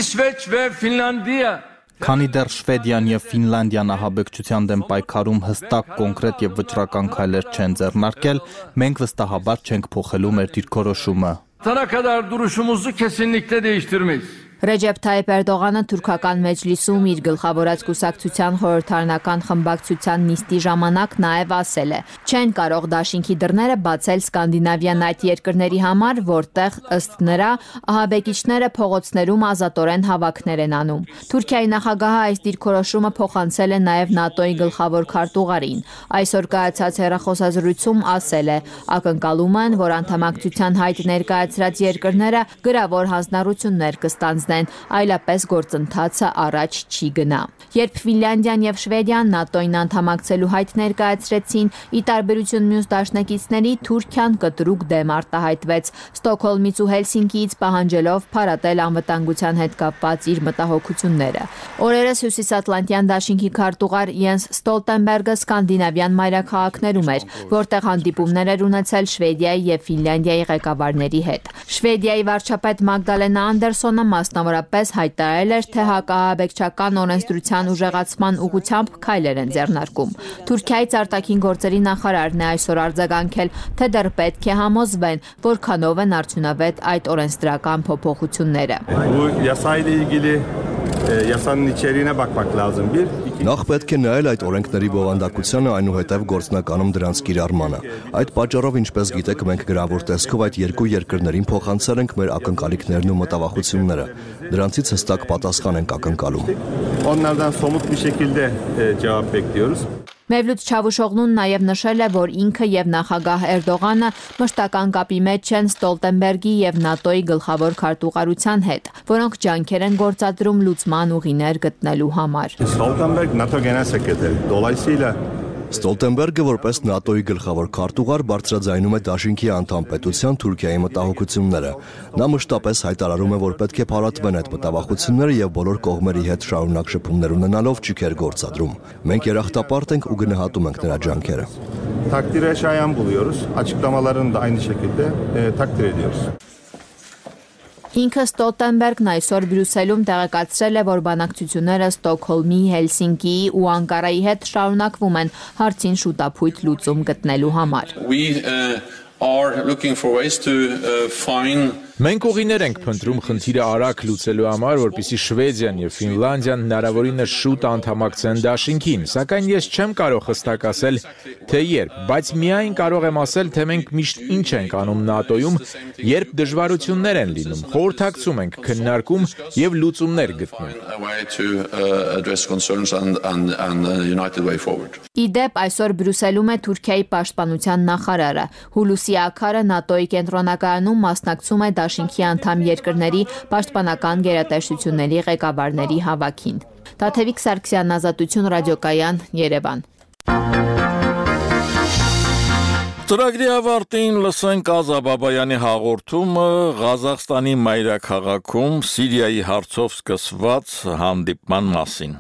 [SPEAKER 17] İsveç ve Finlandiya
[SPEAKER 18] Քանի դեռ Շվեդիան եւ Ֆինլանդիան ահաբեկչության դեմ պայքարում հստակ, կոնկրետ եւ վճռական քայլեր չեն ձեռնարկել, մենք վստահաբար չենք փոխելու մեր դիրքորոշումը։
[SPEAKER 17] Sana kadar duruşumuzu kesinlikle değiştirmeyiz.
[SPEAKER 16] Ռեջեփ Թայիփ Էրդողանը թուրքական մեջլիսում իր գլխավորած կուսակցության խորհրդարանական խմբակցության նիստի ժամանակ նաև ասել է. չեն կարող դաշինքի դռները բացել Սկանդինավյան այդ երկրների համար, որտեղ ըստ նրա ահաբեկիչները փողոցներում ազատորեն հավաքներ են անում։ Թուրքիայի նախագահը այս դիրքորոշումը փոխանցել է նաև ՆԱՏՕ-ի գլխավոր քարտուղարին։ Այսօր կայացած հեռախոսազրույցում ասել է. ակնկալում են, որ անդամակցության հայտ ներկայացրած երկրները գրավոր հանձնառություններ կստանձնեն, այլապես գործընթացը առաջ չի գնա։ Երբ Ֆինլանդիան եւ Շվեդիան ՆԱՏՕ-ին անդամակցելու հայտ ներկայացրեցին, ի տարբերություն մյուս դաշնակիցների, Թուրքիան կտրուկ դեմ արտահայտվեց, Ստոկհոլմից ու Հելսինկիից պահանջելով փարատել անվտանգության հետ կապված իր մտահոգությունները։ Օրերս Հյուսիսատլանտյան դաշինքի քարտուղար Յենս Ստոլտենբերգը Սկանդինավյան մայրաքաղաքներում էր, որտեղ հանդիպումներ էր ունեցել Շվեդիայի եւ Ֆինլանդիայի ղեկավարների հետ։ Շվեդիայի վարչապետ Մագդալենա Անդերսոնը մասնավորապես հայտարարել էր, թե հակահաբեկչական օրենսդրության ուժեղացման ուղղությամբ քայլեր են ձեռնարկում։ Թուրքիայից արտաքին գործերի նախարարն է այսօր արձագանքել, թե դեռ պետք է համոզվեն, որքանով են արդյունավետ այդ օրենսդրական փոփոխությունները։
[SPEAKER 27] Նախ պետք է նայել այդ օրենքների բովանդակությանը, այնուհետև գործնականում դրանց կիրառմանը։ Այդ պատճառով, ինչպես գիտեք, մենք գրավոր տեսքով այդ երկու երկրներին փոխանցել ենք մեր ակնկալիքներն ու մտավախությունները։ Դրանցից հստակ պատասխան ենք ակնկալում։
[SPEAKER 16] Մևլութ Չավուշօղլուն նաև նշել է, որ ինքը եւ նախագահ Էրդողանը մշտական կապի մեջ են Ստոլտենբերգի եւ ՆԱՏՕ-ի գլխավոր քարտուղարության հետ, որոնք ջանքեր են գործադրում լուծման ուղիներ գտնելու համար։
[SPEAKER 27] Ստոլտենբերգը որպես ՆԱՏՕ-ի գլխավոր քարտուղար բարձրաձայնում է դաշինքի անդամ պետության Թուրքիայի մտահոգությունները։ Նա մշտապես հայտարարում է, որ պետք է փարատվեն այդ մտահոգությունները եւ բոլոր կողմերի հետ շարունակ շփումներ ունենալով ճիգեր գործադրում։ Մենք երախտապարտ ենք ու գնահատում ենք նրա ջանքերը։
[SPEAKER 2] Takdire şayan buluyoruz. Açıklamalarını da aynı şekilde takdir ediyoruz.
[SPEAKER 16] Ինքը Ստոլտենբերգն այսօր Բրյուսելում տեղեկացրել է, որ բանակցությունները Ստոկհոլմի, Հելսինկիի ու Անկարայի հետ շարունակվում են հարցին շուտափույթ լուծում գտնելու համար։
[SPEAKER 19] Մենք ուղիներ ենք փնտրում խնդիրը արագ լուծելու համար, որպեսզի Շվեդիան եւ Ֆինլանդիան հնարավորինս շուտ անդամակցեն դաշինքին, սակայն ես չեմ կարող հստակ ասել, թե երբ, բայց միայն կարող եմ ասել, թե մենք միշտ ինչ ենք անում ՆԱՏՕ-ում, երբ դժվարություններ են լինում, խորհրդակցում ենք, քննարկում եւ լուծումներ գտնում։
[SPEAKER 16] Իդեպ այսօր Բրյուսելում է Թուրքիայի պաշտպանության նախարարը։ Հուլուսի Աքարը ՆԱՏՕ-ի կենտրոնակայանում մասնակցում է դաշինքի անդամ երկրների պաշտպանական գերատեսչությունների ղեկավարների հավաքին։ Տաթևիկ Սարգսյան, Ազատություն ռադիոկայան, Երևան։
[SPEAKER 1] Ծրագրի ավարտին լսենք Ազա Բաբայանի հաղորդումը Ղազախստանի մայրաքաղաքում Սիրիայի հարցով սկսված հանդիպման մասին։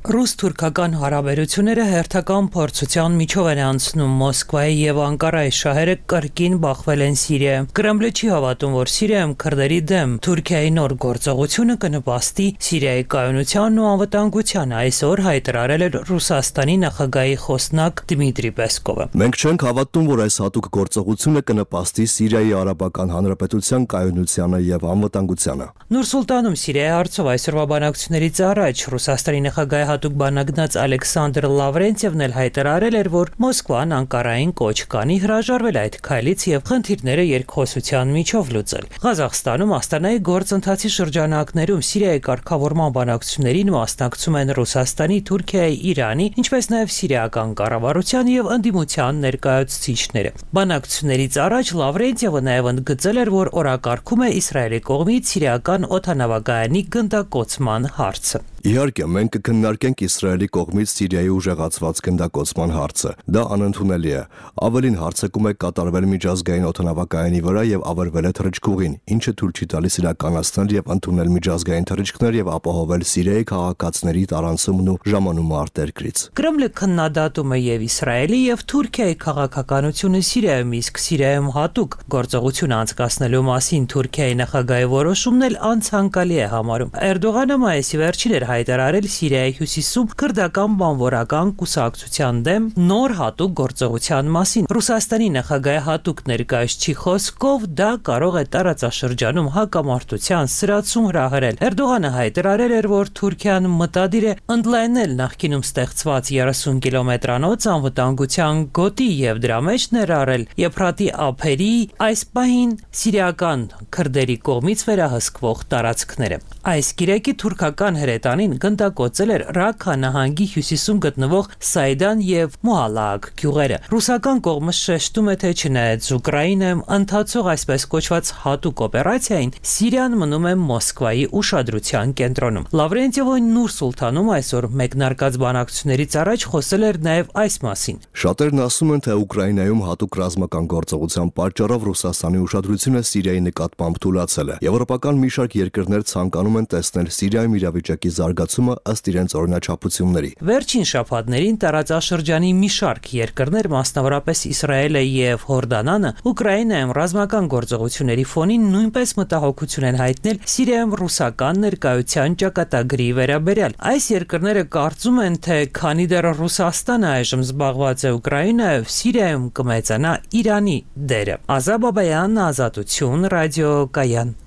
[SPEAKER 20] Ռուս-թուրքական հարաբերությունները հերթական փորձության միջով են անցնում Մոսկվայի եւ Անկարայի շահերը կրկին բախվել են Սիրիայում։ Կրեմլը չի հավատում, որ Սիրիայում քրդերի դեմ Թուրքիայի նոր գործողությունը կնպաստի Սիրիայի կայունությանն ու անվտանգությանը, այսօր հայտարարել է Ռուսաստանի նախագահի խոսնակ Դմիտրի Պեսկովը։
[SPEAKER 27] Մենք չենք հավատում, որ այս հատուկ գործողությունը կնպաստի Սիրիայի Արաբական Հանրապետության կայունությանը եւ անվտանգությանը։
[SPEAKER 20] Նուր-Սուլտանում Սիրիայի հարցով այսօրվա բանակցություններից առաջ Ռուսաստանի նախագահի հատուկ բանագնաց Ալեքսանդր Լավրենտիևն էլ հայտարարել էր, որ Մոսկվան Անկարային կոչ կանի հրաժարվել այդ քայլից եւ խնդիրները երկխոսության միջով լուծել։ Ղազախստանում Աստանայի գործընթացի շրջանակներում Սիրիայի կարգավորման բանակցություններին մասնակցում են Ռուսաստանի, Թուրքիայի, Իրանի, ինչպես նաեւ սիրիական կառավարության եւ ընդդիմության ներկայացուցիչները։ Բանակցություններից առաջ Լավրենտիևը նաեւ ընդգծել էր, որ օրակարգում է Իսրայելի կողմից սիրիական օդանավակայանի գնդակոծման հարցը։
[SPEAKER 27] Իհարկե, մենք կքննարկենք Իսրայելի կողմից Սիրիայի ուժեղացված գնդակոծման հարցը։ Դա անընդունելի է։ Ավելին հարձակում է կատարվել միջազգային օդանավակայանի վրա եւ ավերվել է թռիչքուղին, ինչը թույլ չի տալիս իրականացնել եւ ընդունել միջազգային թռիչքներ եւ ապահովել Սիրիայի քաղաքացիների տարանցումն ու ժամանումը արտերկրից։
[SPEAKER 20] Կրեմլը քննադատում է եւ Իսրայելի եւ Թուրքիայի քաղաքականությունը Սիրիայում, իսկ Սիրիայում հատուկ գործողություն անցկացնելու մասին Թուրքիայի նախագահի որոշումն էլ անցանկալի է համարում։ Էրդողանը մայիսի վերջին էր հայտարարել Սիրիայի հյուսիսում քրդական բանվորական կուսակցության դեմ նոր հատուկ գործողության մասին։ Ռուսաստանի նախագահի հատուկ ներկայացուցիչի խոսքով դա կարող է տարածաշրջանում հակամարտության սրացում հրահրել։ Էրդողանը հայտարարել էր, որ Թուրքիան մտադիր է ընդլայնել նախկինում ստեղծված 30 կիլոմետրանոց անվտանգության գոտի եւ դրա մեջ ներառել Եփրատի ափերի այս պահին սիրիական քրդերի կողմից վերահսկվող տարածքները։ Այս գիրեկի թուրքական հրետանին գնդակոծել էր Ռաքա նահանգի հյուսիսում գտնվող Սայդան եւ Մոհալակ գյուղերը։ Ռուսական կողմը շեշտում է, թե չնայած Ուկրաինայում ընթացող այսպես կոչված հատուկ օպերացիային, Սիրիան մնում է Մոսկվայի ուշադրության կենտրոնում։ Լավրենտիևը Նուր Սուլթանում այսօր մեկնարկած բանակցություններից առաջ խոսել էր նաեւ այս մասին։
[SPEAKER 27] Շատերն ասում են, թե Ուկրաինայում հատուկ ռազմական գործողության պատճառով Ռուսաստանի ուշադրությունը Սիրիայի նկատմամբ թուլացել է։ Եվրոպական մի շարք երկրներ ցանկանում են տեսնել Սիրիայում իրավիճակի զարգացումը ըստ իրենց օրինաչափությունների։
[SPEAKER 20] Վերջին շաբաթներին տարածաշրջանի մի շարք երկրներ, մասնավորապես Իսրայելը եւ Հորդանանը, Ուկրաինայում ռազմական գործողությունների ֆոնին նույնպես մտահոգություն են հայտնել Սիրիայում ռուսական ներկայության ճակատագրի վերաբերյալ։ Այս երկրները կարծում են, թե քանի դեռ Ռուսաստանը այժմ զբաղված է Ուկրաինայով, Սիրիայում կմեծանա Իրանի դերը։ Ազատ Բաբայան, Ազատություն, ռադիոկայան։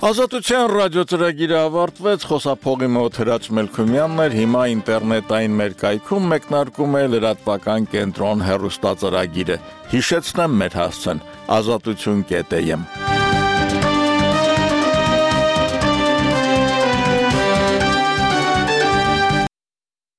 [SPEAKER 1] Ազատության ռադիոծրագիրը ավարտվեց, խոսափողի մոտ Հրաչ Մելքումյանն էր, հիմա ինտերնետային մեր կայքում մեկնարկում է լրատվական կենտրոն հեռուստածրագիրը։ Հիշեցնեմ մեր հասցեն՝ azatutun.am